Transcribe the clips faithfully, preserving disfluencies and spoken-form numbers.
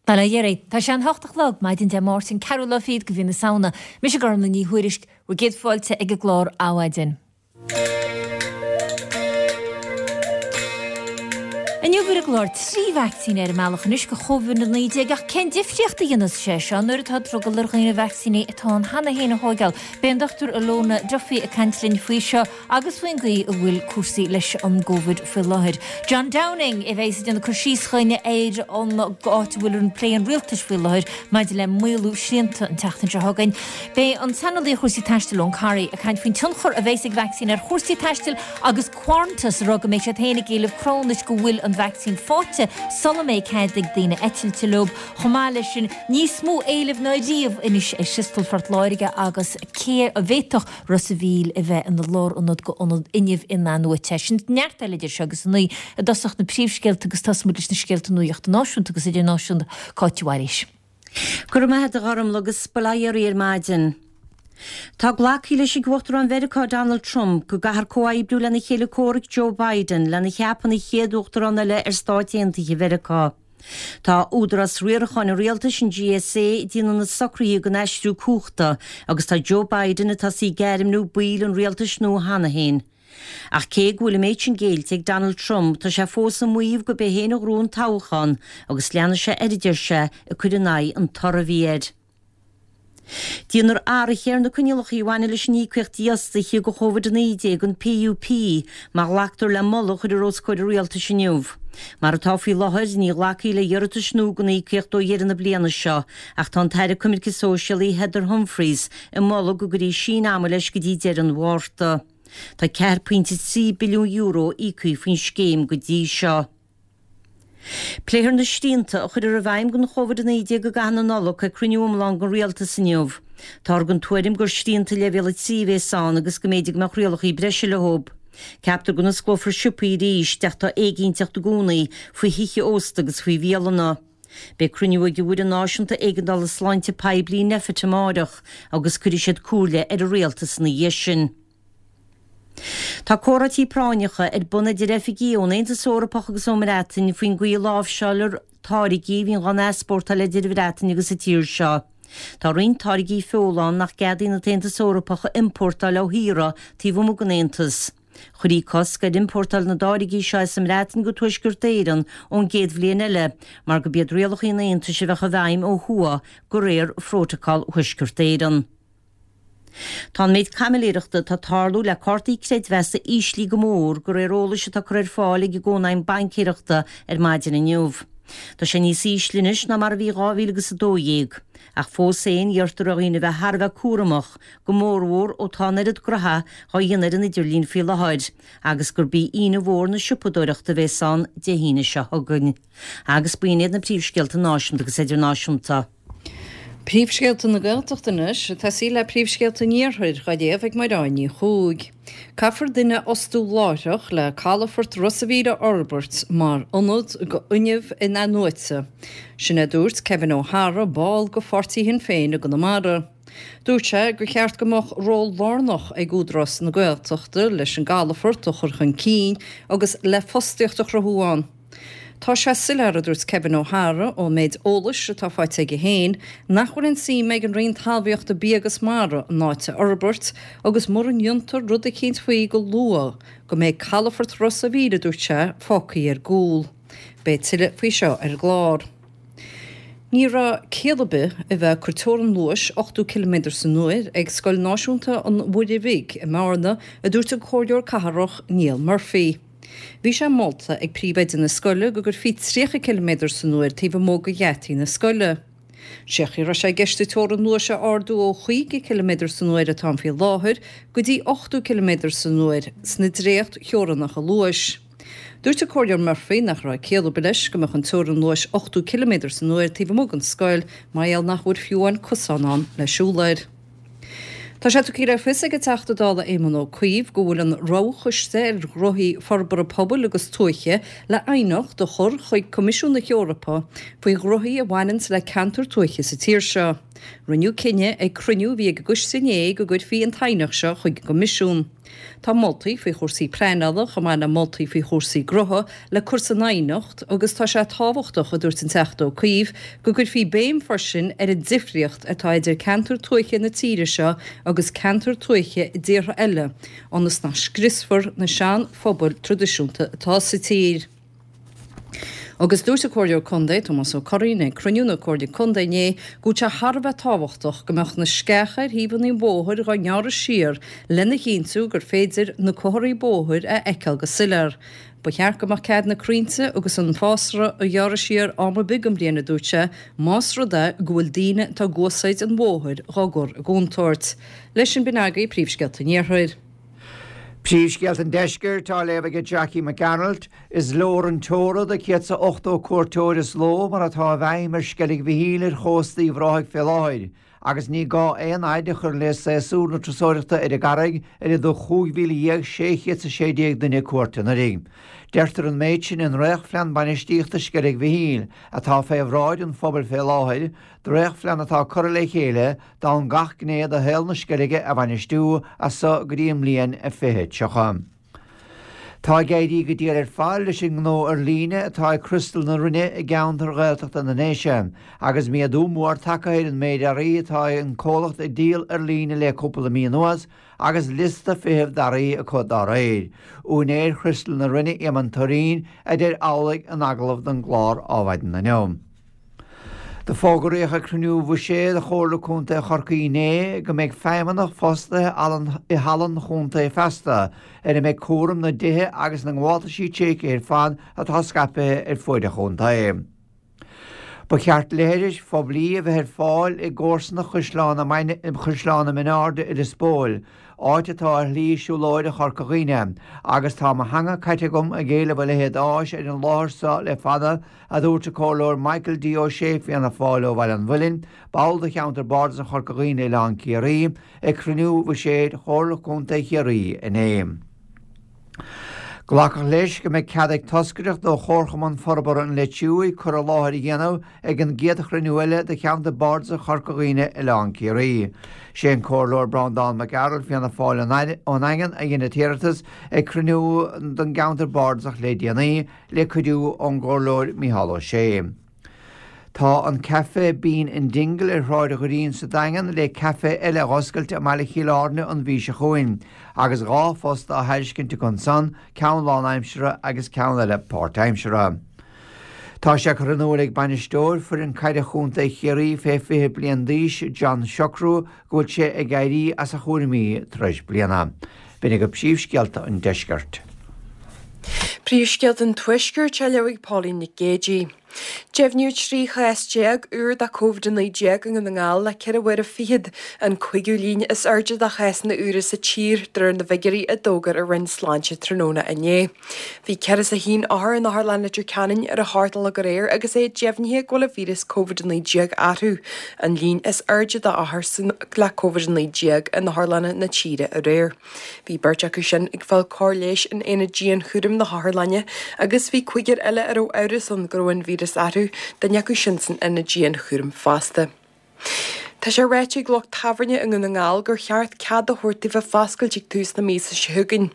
Bail ó Dhia oraibh. Tá sé an hocht a chlog, maidin Dé Máirt an ceathrú lá fichead de mhí na Samhna. Mise Gormlaith Ní Thuairisg, bhur gcéad fáilte ag an gclár Adhmhaidin. Inniu ar an gclár trí vacsaín ar an mbealach anois do Covid a naoi déag ach cén difríocht a dhéanfas sé seo nuair atá drogall ar dhaoine vacsaíní atá ann cheana féin a thóigeáil? Beidh an Dochtúir Ilona Duffy ag caint linn faoi seo agus faoin gcaoi a bhfuil cúrsaí leis an gCovid faoi láthair. John Downing a bheidh ag déanamh cur síos chugainn ar an áit a bhfuil an plé an rialtais faoi láthair maidir le maolú srianta an tseachtain seo chugainn. Beidh an saineolaí ar chúrsaí taistil Eoin Corry ag caint faoin tionchar a bheas ag vacsaín ar chúrsaí taistil agus Qantas ag rá go mbeidh siad féin ag éileamh cruthúnais go bhfuil an vacsaín faighte sula mbeidh cead ag daoine eitilt leo. Chomh maith leis sin, níos mó éilimh ná riamh anois ar Thriostal Phort Láirge agus cé a bhféadfadh Ros a' Mhíl a bheith ina lárionad go ionad fhuinnimh in-athnuaite. Sin neart eile idir seo agus a naoi i dtosach na príomhscéalta agus tosóimid leis na scéalta nuachta náisiúnta agus idirnáisiúnta. Cáit Mhaoilís. Go raibh maith agat a Ghormlaith agus bail ó Dhia oraibh ar maidin. Tá glactha leis ag Uachtarán Mheiriceá Donald Trump go gcaithfear comhoibriú lena chéile comhraic Joe Biden lena cheapadh ina chéad Uachtarán eile ar Stáit Aontaithe Mheiriceá. Tá Údarás Riaracháin an Rialtais, an GSA, ag déanamh na socruithe don aistriú cumhachta agus tá Joe Biden ag tosaí ag ainmniú baill an rialtais nua cheana féin. Ach cé go bhfuil an méid sin géillte ag Donald Trump, tá sé fós ag maíomh gurb é féin a ghnóthaigh an toghchán agus leanfaidh sé air, a deir sé, ag cur in aghaidh an toraidh a bhí air. Déanfar athruithe ar na coinníollacha a bhaineann leis an íocaíocht dífhostaithe do Chóvid a naoi déag, an PUP, má ghlactar le moladh a chuirfear os comhair an rialtais inniu. Mar atá faoi láthair, ní ghlacfaí le hiarratais nua don íocaíocht ó dheireadh na bliana seo, ach tá an tAire Coimirce Sóisialaí Heather Humphreys ag moladh go gcuirfí síneadh ama leis go dtí deireadh an Mhárta. Tá ceathair pointe trí billiún euro íoctha faoin scéim go dtí seo. Pléifear na srianta a chuirfear i bhfeidhm don Chóvid a naoi déag i gcaitheamh na Nollag ag cruinniú iomlán den Rialtas inniu. Táthar den tuairim gur srianta Leibhéal a trí a bhéas ann agus go mb'fhéidir go mbeadh rialacha breise leo. Ceaptar go n-osclófar siopaí arís ach tá éiginnteacht i gcónaí faoi thithe ósta agus faoi bhialanna. Beidh cruinniú ag an bhFoireann Náisiúnta Éigeandála Sláinte Poiblí, Nphet, amáireach agus cuirfidh siad comhairle ar an Rialtas ina dhiaidh sin. Tá comhráití práinneacha ar bun idir oifigigh ón Aontas Eorpach agus ón mBreatain faoin gcaoi a láimhseáiltear táirgí a bhíonn á n-easpórtáil idir an Bhreatain agus an tír seo. Tá roinnt táirgí feola ann nach gceadaíonn an tAontas Eorpach a iompórtáil ó thíortha taobh amuigh den Aontas. Chuirfí cosc ar iompórtáil na dtáirgí seo as an mBreatain go Tuaisceart Éireann ón gcéad bhliain eile mar gurb iad rialacha an Aontais a bheadh i bhfeidhm ó thuaidh de réir Phrótacal Thuaisceart Éireann. Tá an méid caimiléireachta atá ag tarlú le cártaí creidmheasa íslithe go mór, de réir eolais atá curtha ar fáil ag an gCónaidhm Baincéireachta ar maidin inniu. Tá sé níos ísle anois ná mar a bhí dhá mhíle agus a dó dhéag. Ach fós féin, iarrtar ar dhaoine a bheith thar a bheith cúramach, go mórmhór ó tá an oiread gnoithe á dhéanamh ar an idirlíon faoi láthair, agus gurb í Aoine mhór na siopadóireachta a bhéas ann Dé hAoine seo chugainn. Agus b'in iad na príomhscéalta náisiúnta agus idirnáisiúnta. Príomhscéalta na Gaeltachta anois, ag tosaí le príomhscéalta an Iarthair, á léamh ag Mairéad Ní Chuaig. Caithfear duine a fhostú láithreach le calafort Ros a' Mhíl a fhorbairt mar ionad do fhuinneamh in-athnuaite. Sin a dúirt Kevin O'Hara, ball de pháirtí Shinn Féin i gConamara. Dúirt sé gur cheart go mbeadh ról lárnach ag Údarás na Gaeltachta leis an gcalafort a chur chun cinn agus le fostaíocht a chruthú ann. Tá sé soiléir, a dúirt Kevin O'Hara, ón méid eolais atá faighte aige féin, nach bhfuil aon suim ag an Roinn Talmhaíochta, Bia agus Mara an áit a fhorbairt agus mura ndéantar rud eicínt faoi go luath, go mbeidh calafort Ros a' Mhíl, a dúirt sé, fágtha ar gcúl. Beidh tuilleadh faoi seo ar an gclár. Ní raibh ciall ar bith a bheith ag cur teorann luais ochtó ciliméadar san uair ag Scoil Náisiúnta an Mhuire Bhig i mBearna, a dúirt an Comhairleoir Cathrach Niall Murphy. Bhí sé molta ag príomhoide na scoile go gcuirfí tríocha ciliméadar san uair taobh amuigh de gheataí na scoile. Sé an chaoi a raibh sé i gceist an teorainn luais a ardú ó chaoga ciliméadar san uair atá ann faoi láthair go dtí ochtó ciliméadar san uair sna dréacht-theorannacha luais. Dúirt an Comhairleoir Murphy nach raibh ciall ar bith leis go mbeadh an teorainn luais ochtó ciliméadar san uair taobh amuigh den scoil mar gheall nach bhfuil fiú amháin cosán ann le siúl air. Tá sé tugtha le fios ag an Teachta Dála Éamon Ó Cuív go bhfuil an Roghchoiste ar Ghnóthaí Forbartha Pobail agus Tuaithe le aighneacht a chur chuig Coimisiún na hEorpa faoi ghnóthaí a bhaineanns le ceantair tuaithe sa tír seo. Rinneadh cinneadh ag cruinniú a bhí ag an gcoiste inné go gcuirfí an t-aighneacht seo chuig an gCoimisiún. Tá moltaí faoi chúrsaí pleanála chomh maith le moltaí faoi chúrsaí gnótha le cur san aighneacht agus tá sé tábhachtach, a dúirt an Teachta Ó Cuív, go gcuirfí béim freisin ar an difríocht atá idir ceantair tuaithe na tíre seo agus ceantair tuaithe i dtíortha eile, ionas nach scriosfar na seanphobail traidisiúnta atá sa tír. Agus dúirt an Comhairleoir Contae, Tomás Ó Curraoin, ag cruinniú na Comhairle Contae inné go bhfuil sé thar a bheith tábhachtach go mbeadh na sceacha ar thaobhanna an bhóthair dhá ngearradh siar lena chinntiú gur féidir na comharthaí bóthair a fheiceáil go soiléir. Ba cheart go mbeadh cead na crainnte agus an fásra a ghearradh siar am ar bith den bhliain, a dúirt sé, más rud é go bhfuil daoine atá ag úsáid an bhóthair dhá gcur i gcontúirt. Leis sin b'in agaibh príomhscéalta an Iarthair. Príomhscéalta an Deiscirt á léamh ag Jackie Mac Gearailt. Is leor an teora do céad 's a ochtó cuairteoir sa ló mar atá i bhfeidhm ar Sceilg Mhichíl ar chósta Uíbh Ráthaigh fé láthair agus ní gá aon fhaid a chur le séasúr na turasóireachta ar an gcarraig ar a dtug chúig mhíle dhéag sé chéad 's a sé déag duine cuairt anuraidh. Deirtear an méid sin i ndréachtphlean bainistíochta Sceilg Mhichíl atá fé bhráid an phobail fé láthair, dréachtphlean atá curtha le chéile d'fhonn gach gné de shaol na Sceilge a bhainistiú as so go dtí an mbliain fiche tríocha. Tá ag éirí go diail ar fad leis an ngnó ar líne atá ag Criostal na Rinne i gceantar Ghaeltachta na nDéise, agus méadú mór tagtha ar an méid earraí atá an comhlacht ag díol ar líne le cúpla mí anuas agus liosta feithimh d'earraí acu dá réir. Úinéir Chriostal na Rinne, Éamonn Turraoin, a deir amhlaidh in agallamh don gclár Adhmhaidin inniu. Do fógraíodh ag cruinniú bhuiséid Chomhairle Contae Chorcaí inné go mbeidh feidhmeannach fostaithe i Halla an Chontae feasta ar a mbeidh cúram na dtithe agus na ngabháltaisí tréigthe ar fad atá scaipthe ar fuaid an chontae. Ba cheart leithris phoiblí a bheith ar fáil i gcomharsanacht Chaisleán na Mionairde i Lios Póil, áit atá ar shlí siúlóide Chorca Dhuibhne, agus tá mo theanga caite agam ag éileamh a leithéid d'áis ar an láthair seo le fada, a dúirt an Comhairleoir Michael D. Ó Sé, Fianna Fáil ó Bhaile an Mhuilinn, ball de cheantar bardasach Chorca Dhuibhne Oileán Ciarraí, ag cruinniú bhuiséid Chomhairle Contae Chiarraí inné. Glacadh leis go mbeidh cead ag toscaireacht ó Chomharchumann Forbartha an Leitir Thuaidh cur i láthair a dhéanamh ag an gcéad chruinniú eile de Cheantar Bardasach Chorca Dhuibhne Oileán Ciarraí. Sé an Comhairleoir Breandán Mac Gearailt, Fianna Fáil ón Daingean, a dhein an t-iarratas ag cruinniú den gceantar bardasach le déanaí, le cuidiú ón gComhairleoir Mícheál Ó Sé. Tá an caife Bean in Dingle ar Shráid Dhoirín sa Daingean le caife eile a dh'oscailt i mbaile Chill Airne an mhí seo chugainn, agus dhá phost á thairiscint acu ansan, ceann lánaimseartha agus ceann eile páirtaimseartha. Tá sé curtha in iúl ag bainisteoir foireann caide chontae Chiarraí fé fiche bliain d'aois, John Siochrú, go bhfuil sé ag éirí as a chúraimí tar éis bliana. B'in agaibh príomhscéalta an deiscirt. Príomhscéalta an Tuaiscirt á léamh ag Pauline Nic Géidigh. Deimhníodh trí chás déag úr de Covid a naoi déag i nDún na nGall le ceithre huaire fichead, an cúigiú líon is airde de chásanna úra sa tír, de réir na bhfigiúirí a d'fhógair an Roinn Sláinte tráthnóna inné. Bhí ceithre is a haon othar in Otharlann Leitir Ceanainn ar a hocht a chlog aréir agus é deimhnithe go bhfuil an víreas Covid a naoi déag orthu, an líon is airde d'othair le Covid a naoi déag in otharlanna na tíre aréir. Bhí beirt acu sin ag fáil cóir leighis in aonad dianchúraim na hotharlainne agus bhí cúigear eile a raibh amhras ann go raibh an víreas orthu, duine acu sin san aonad dianchúraim fosta. Tá sé ráite ag lucht tábhairne i nDún na nGall gur cheart cead a thabhairt daofa foscailt ag tús na míosa seo chugainn.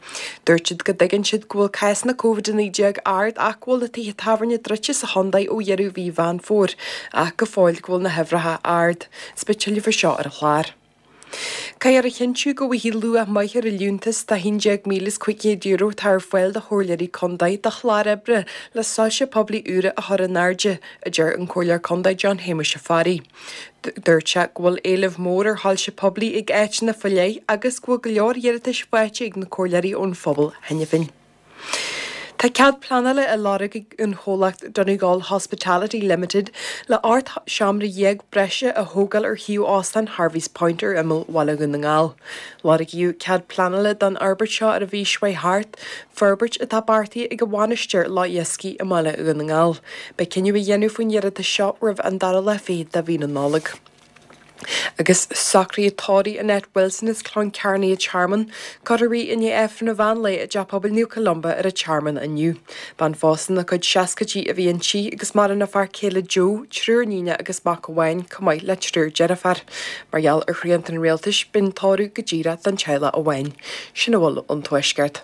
Dúirt siad go dtuigeann siad go bhfuil cásanna Covid a naoi déag ard ach go bhfuil na tithe tábhairne druidte sa chontae ó dheireadh mhí Mheán Fómhair ach go fóill go bhfuil na huimhreacha ard. Is beidh tuilleadh faoi seo ar an chlár. Caithfear a chinntiú go bhfaighidh luach maith ar an liúntas de haon déag míle is cúig chéad euro atá ar fáil do chomhairleoirí contae do chlár oibre le soilse poiblí úra a chur in airde, a deir an Comhairleoir Contae John Shéamuis Ó Fearraigh. Dúirt sé go bhfuil éileamh mór ar shoilse poiblí ag áiteanna faoi leith agus go bhfuil go leor iarratais faighte ag na comhairleoirí ón phobal cheana féin. Tá cead pleanála á lorg ag an chomhlacht Donegal Hospitality Limited le ocht seomra dhéag breise a thógáil ar shuíomh Óstán Harvey's Point ar imeall Bhaile Dhún na nGall. Lorgaíodh cead pleanála don fhorbairt seo ar an mhí seo thart, forbairt atá beartaithe ag an Mhainistir Loch Iascaigh i mBaile Dhún na nGall. Beidh cinneadh á dhéanamh faoin iarratas seo roimh an dara lá fichead de mhí na Nollag. Agus socruithe tórraimh Annette Wilson as Cloncarney an Tearmann, curtha i ndiaidh Aifreann an mheán lae i dTeach Pobail Naomh Columba ar an Tearmann inniu. Bean phósta ina cuid seascaidí a bhí inti agus maireann a fear céile Joe, triúr níon agus mac amháin, chomh maith le triúr deirfiúr. Mar gheall ar shrianta an rialtais, beidh an tórramh go díreach don teaghlach amháin. Sin a bhfuil ón Tuaisceart.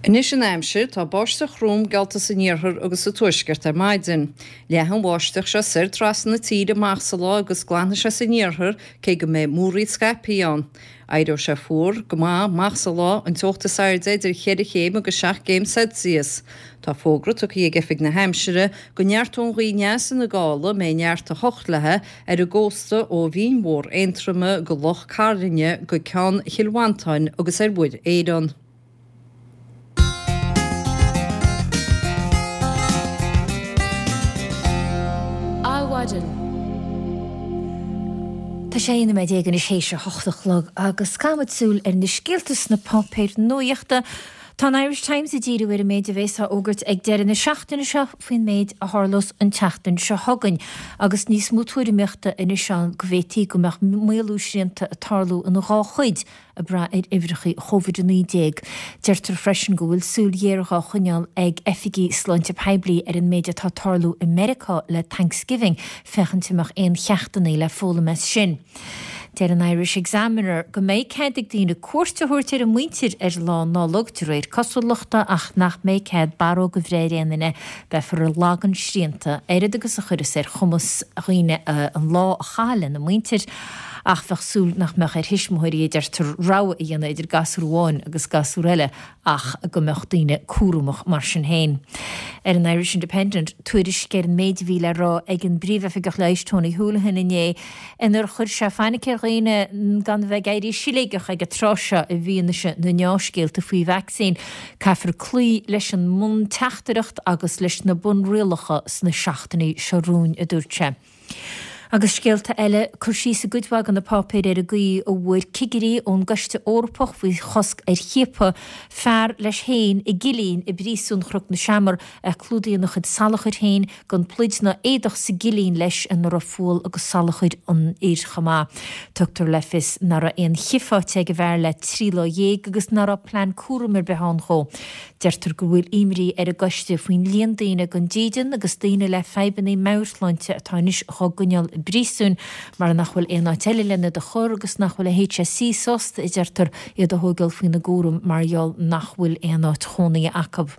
Anois an aimsir, tá báisteach throm geallta san iarthar agus sa tuaisceart ar maidin. Leathfaidh an bháisteach seo soir trasna na tíre amach sa lá agus glanfaidh sé san iarthar cé go mbeidh múraíl scaipthe ann. Éireoidh sé fuar go maith amach sa lá, an teocht is airde idir cheithre chéim agus seacht gcéim Celsius. Tá fógra tugtha ag Oifig na hAimsire go neartóidh an ghaoth aneas ina gála, a mbeidh neart a hocht léi, ar an gcósta ó Bhinn Mhór Aontroma go Loch Cairlinne go Ceann Chill Mhantáin agus ar Mhuir Éireann. Adhmhaidin. Tá sé aon nóiméad déag anois théis a hocht a chlog agus caithfimid súil ar na scéalta sna páipéir nuachta. Tá an Irish Times ag díriú ar an méid a bheas á fhógairt ag deireadh na seachtaine seo faoin méid a tharlós an tseachtain seo chugainn agus níos mó tuairimíochta anois ann go bhféadfaí go mbeadh maolú srianta ag tarlú ina dhá chuid ag brath ar uimhreacha Covid a naoi déag. Deirtear freisin go bhfuil súil ghéar dhá choinneáil ag oifigigh sláinte poiblí ar an méid atá ag tarlú i Meiriceá le Thanksgiving féachaint an mbeadh aon cheachtanna le foghlaim as sin. Deir an Irish Examiner go mbeidh cead ag daoine cuairt a thabhairt ar a muintir ar Lá Nollag, de réir cosúlachta, ach nach mbeidh cead barróg a bhreith ar aon duine. Beifear ag lagan srianta, oiread agus a chuirfeas ar chumas dhaoine an lá a chaitheamh lena muintir, ach bheadh súil nach mbeadh ar thuismitheoirí, a deirtear, rogha a dhéanamh idir gasúr amháin agus gasúr eile ach go mbeadh daoine cúramach mar sin féin. Ar an Irish Independent, tuairisc ar an méid a bhí le rá ag an bPríomhoifigeach Leighis Tony Holohan inné inar chuir sé fainic ar dhaoine gan a bheith ag éirí siléigeach ag an tráth seo i bhfianaise na ndea-scéalta faoi vacsaín. Caithfear cloí leis an mbunteachtaireacht agus leis na bunrialacha sna seachtainí seo romhainn, a dúirt sé. Agus scéalta eile, cur síos i gcuid mhaith de na páipéir ar an gcaoi a bhfuair cigirí ón gCoiste Eorpach faoi Chosc ar Chiapadh fear leis féin i gcillín i bpríosún Chnoc na Seamar, é clúdaithe ina chuid salachair féin, gan pluid ná éadach sa gcillín leis ina raibh fual agus salachar an fhir chomh maith. Tugtar le fios nach raibh aon chith faighte ag an bhfear le trí lá dhéag agus nach raibh plean cúraim ar bith ann dhó. Deirtear go bhfuil imní ar an gcoiste faoin líon daoine gan dídean agus daoine le fadhbanna meabhairshláinte atá anois dhá gcoinneáil i bpríosún mar nach bhfuil aon áit eile lena iad a chur agus nach bhfuil an HSE sásta, a deirtear, iad a thógáil faoina gcúram mar gheall nach bhfuil aon áit chónaithe acu.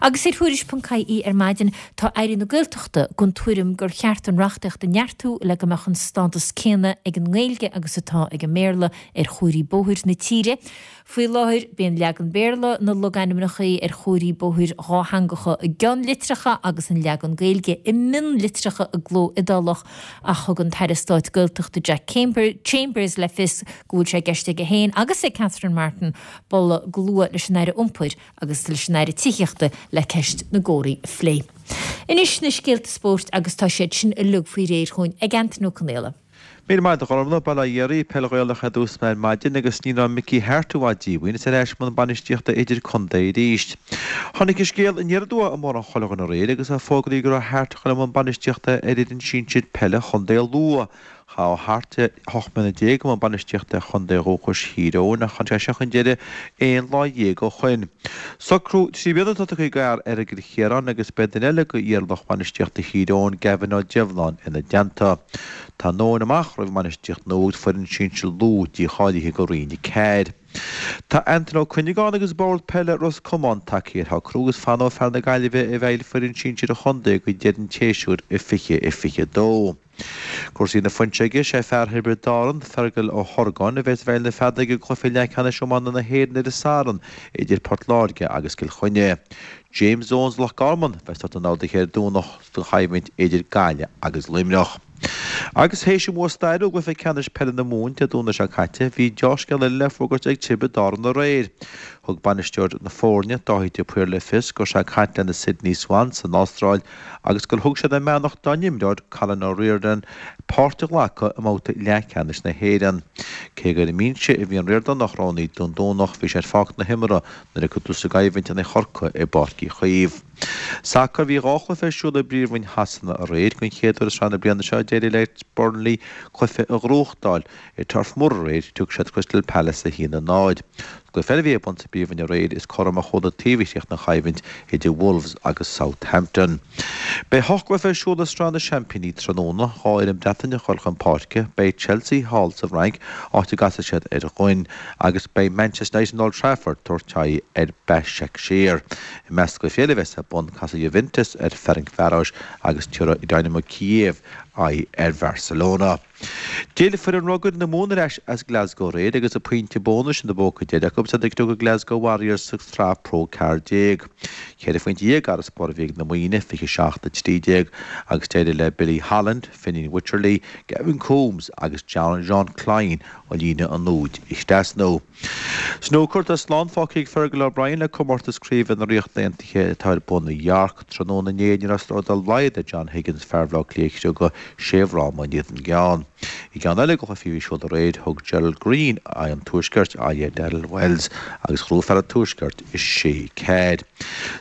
Agus ar Thuairisc ponc ie ar maidin, tá Aire na Gaeltachta den tuairim gur cheart an reachtaíocht a neartú le go mbeadh an stádas céanna ag an nGaeilge agus atá ag an mBéarla ar chomharthaí bóthair na tíre. Faoi láthair, bíonn leagan Béarla na logainmneacha ar chomharthaí bóthair dhátheangacha i gceannlitreacha agus an leagan Gaeilge i mionlitreacha i gcló iodálach ach thug an tAire Stáit Gaeltachta Jack Chambers le fios go bhfuil sé i gceist aige féin agus ag Catherine Martin bualadh go luath leis an Aire Iompair agus leis an Aire Tithíochta le ceist na gcomharthaí a phlé. Anois na scéalta spóirt agus tá siad sin uilig faoi réir chugainn ag Antain Ó Conaola. Míle maith agat a Ghormfhlaith, Bail ó Dhia oraibh, Peil Ghaelach ar dtús ar maidin agus ní raibh Mickey Harte i bhfad díomhaoin is ar ais i mbun bainistíochta idirchontae arís. Tháinig an scéal aniar aduaidh i mBarr an Choilleagáin aréir agus é fógraithe go raibh Harte ag dul i mbun bainistíochta ar fhoireann sinsir peile Chontae Lú. Chaith Harte ocht mbliana déag i mbun bainistíochta ar chontae dhúchais Thír Eoghain ach tháinig sé seo chun deiridh aon lá dhéag ó shoin. Socrú trí bliana atá tugtha ag fear i gCill Chiaráin agus beidh duine eile d'iarlucht bainistíochta Thír Eoghain, Gavin Ó Deireanáin, ina dteannta. Tá an domhan amach roimh an mbainistíocht nua agus foireann sinsir Lú dícháilithe go Roinn a Ceathair. Tá Antaine Ó Cuinneagáin agus Bord Peile Ros Comáin tagtha ar shocrú agus fanóidh fear na Gaillimhe i bhfeighil foireann sinsir an chontae go deireadh an tséasúir i fiche a fiche a dó. Cúrsaí na Fuinseoige, sé fear Thiobraid Árann, Fergal Ó hOrgáin, a bheas i bhfeighil na feadóige i gcluiche leathcheannais iomána na hÉireann ar an Satharn idir Port Láirge agus Cill Chainnigh. James Owens Loch Garman a bheas ag tabhairt na n-orduithe ar an Domhnach sa choimhlint idir Gaillimh agus Luimneach. Agus théis an bhua stairiúil i gcluiche ceannais peile na Mumhan Dé Domhnaigh seo caite, bhí deá-scéal eile le fógairt ag Tiobraid Árann aréir. Thug bainisteoir na foirne, Dáithí de Paor le fios go raibh sé ag caint le na Sydney Swans san Astráil agus gur thug siad a mbeannacht dá n-imreoir, Colin O'Riordan, páirt a ghlacadh i mbabhta leathcheannais na hÉireann. Cé gur ar an mbinse a bhí an Ríordánach roghnaithe don Domhnach, bhí sé ar pháirc na himeartha nuair a cuireadh tús an choimhlint in aghaidh Chorcaí i bPáirc Uí Chaoimh. Sacar, Bhí dhá chluiche ar siúl i bPríomhroinn Shasana aréir. Den chéad uair i sraith na bliana seo, d'éirigh le Burnley cluiche a ghnóthachtáil i Turf Moor aréir, thug siad Crystal Palace a haon a náid. Cluiche eile a bhí ar bun sa bPríomhroinn aréir is cothrom a chuaigh na taobh a chríochnaigh an choimhlint idir Wolves agus Southampton. Beidh ocht gcluiche ar siúl i Sraith na Seaimpíní tráthnóna, dhá fhoireann Breataine ag dul chun páirce, beidh Chelsea thall sa bhFrainc, áit a gcasfaidh siad ar Rennes, agus beidh Manchester United in Old Trafford ag tabhairt aghaidh ar Başakşehir. I measc na gcluichí eile a bheas ar bun, casfaidh Juventus ar Ferencváros agus tabharfaidh Dynamo Kiev aghaidh ar Bharcelona. D'fhill foireann rugair na Mumhan ar ais as Glasgow aréir agus an pointe bónais ina bpóca deiridh acu is iad ag criogadh Glasgow Warriors sa tsraith Pro ceathair déag. Ceithre phointe dhéag d'fharasbarr a bhí ag na Muimhnigh, fiche seacht a trí déag, agus d'éirigh le Billy Holland, Fineen Wycherley, Gavin Coombes agus Jean Kleyn ó líne an úid a thrasnú. Snúcar tá slán fágtha ag Fergal O'Brien le comórtas craoibhe na Ríochta Aontaithe atá ar bun i York tráthnóna inné ní raibh slór dá laghad ag John Higgins fear Bhaile Átha Cliath a chriogadh sé fhráma in éadan ceann. I gceann eile de chluichí a bhí ar siúl aréir thug Gerald Greene an Tuaiscirt aghaidh ar Daryl Wells agus ghnóthaigh fear an Tuaiscirt i sé ceathair.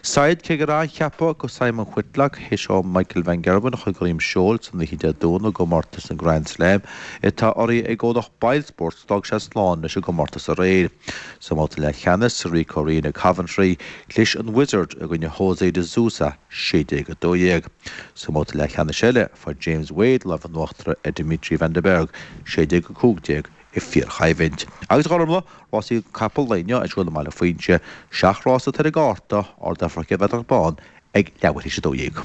Said cé gur athcheapadh go Simon Whitlock théis dó Michael Van Gerwen a chur de dhroim seoil san oíche Dé Domhnaigh i gcomórtas an Grand Slam atá urraithe ag comhlacht Boylesports d'fhág sé slán leis an gcomórtas aréir. Sa mbabhta leathcheannais sa Ricoh Arena Coventry chlis an Wizard i gcoinne Jose de Sousa sé déag a dó dhéag. Sa mbabhta leathcheannais eile fuair James Wade lámh in uachtar ar Dimitri Van den Bergh sé déag a cúig déag i bhfíorchoimhlint. Agus a Ghormfhlaith, rásaí capall lae inniu ar siúl i mBaile Phuinse, seacht rás atá ar an gcárta, ardófar an bhratach bán ag leathuair théis a dó dhéag.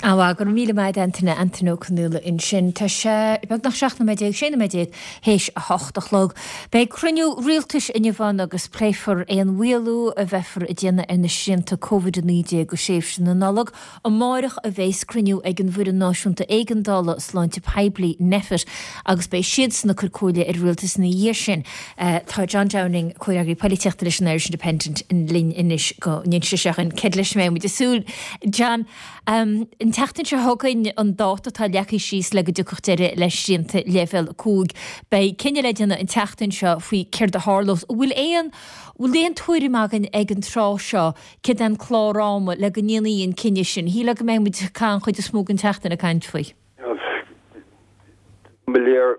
Á go raibh míle maith agat Antaine Antaine Ó Conaola ansin. Tá sé beagnach seacht nóiméad déag, sé nóiméad déag théis a hocht a chlog. Beidh cruinniú rialtais inniu ann agus pléifear aon mhaolú a bheifear ag déanamh ar na srianta Covid a naoi déag go tréimhse na Nollag. Amárach a bheas cruinniú ag an bhFoireann Náisiúnta Éigeandála Sláinte Poiblí Nphet agus beidh siadsan ag cur comhairle ar an rialtas ina dhiaidh sin. Tá John Downing, comhfhreagraí polaitíochta leis an Irish Independent linn anois go n-inse sé dhúinn céard leis a mbeidh muid ag súil. John, um, an tseachtain seo chugainn an dáta atá leagtha síos le go dtiocfadh deireadh le srianta leibhéal cúig. Beidh cinneadh le déanamh an tseachtain seo faoi céard a tharlós. Bhfuil aon bhfuil aon tuairim againn ag an tráth seo céard é an clár ama le go ndéanfaí an cinneadh sin. Shílfeá go mbeidh muid an chuid is mó den tseachtain ag caint faoi. Mo léir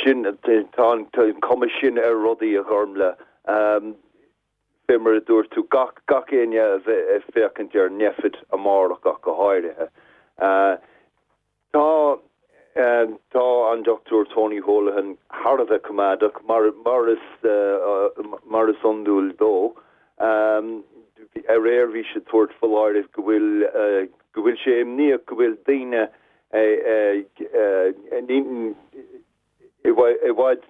sin tá an cuma sin ar rudaí a Ghormfhlaith. Um, Fé mar a dúirt tú gach gach éinne a bheith ag féachaint ar Nphet amárach ach go háirithe. Uh, tá uh, tá an Dr Tony Holohan thar a bheith coimeádach mar mar is uh, mar is iondúil dó. Um, aréir bhí sé ag tabhairt foláireamh go bhfuil uh, go bhfuil sé imníoch go bhfuil daoine uh, uh, i bhfad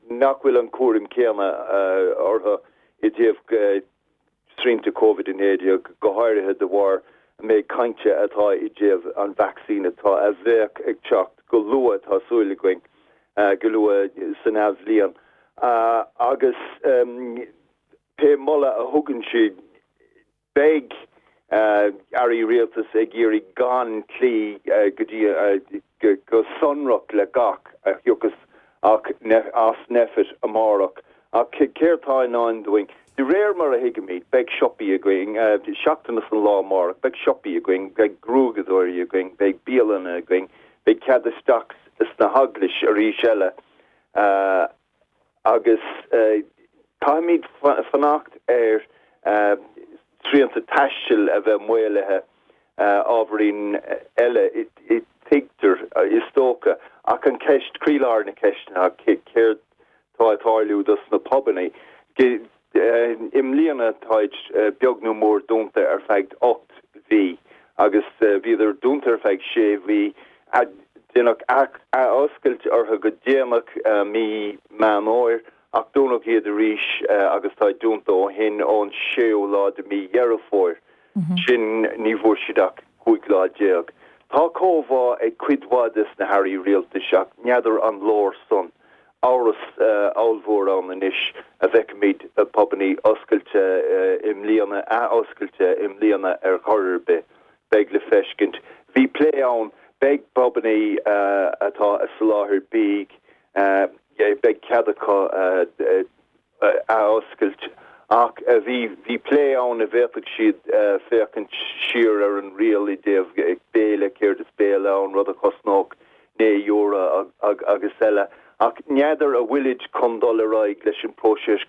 nach bhfuil an cúram céanna orthu i dtaobh srianta Covid a naoi déag go háirithe de bharr méid cainte atá i dtaobh an vacsaín atá a bheadh ag teacht go luath tá súil againn go luath san athbhliain. Agus pé moladh a thugann siad beidh airí rialtais ag iarraidh gan cloí go dtí go sonrach le gach a thiocfas ach as Nphet amárach. Ach céard atá i ndán dúinn. De réir mar a thuigimid, beidh siopaí againn, seachtain as an lá amárach, beidh siopaí againn, beidh gruaigeadóirí againn, beidh bialanna againn, beidh cead isteach sna heaglaisí arís eile. Agus caithfimid fanacht ar srianta taistil a bheith maolaithe ábhairín eile tuigtear is dócha ach an ceist croílár na ceiste ná céard tá ag tarlú dos na pubanna. I mbliana táid beag nó mór dúnta ar feadh ocht mhí agus bhíodar dúnta ar feadh sé mhí déanach oscailt orthu go déanach mí Meán Fómhair ach dúnadh iad arís agus tá dúnta ó shin ón séú lá de mí Dheireadh Fómhair. Sin ní bhfuair siad ach cúig lá déag. Tá comhbhá ag cuid mhaith des na hairí rialtais ach n'fheadar an leor san. Amhras ollmhór ann anois a bhfeicfimid pubanna oscailte i mbliana, athoscailte i mbliana ar chor ar bith. Beidh le feiscint. Bhí plé ann, beidh pubanna atá ag soláthar bídh, beidh cead acu athoscailt Ach bhí bhí plé ann an bhféadfadh siad féachaint siar ar an riail i dtaobh béile, céard is béile ann, rud a chosnódh naoi euro agus eile. Ach n'fheadar an bhfuilid chun dul ar aghaidh leis an bpróiseas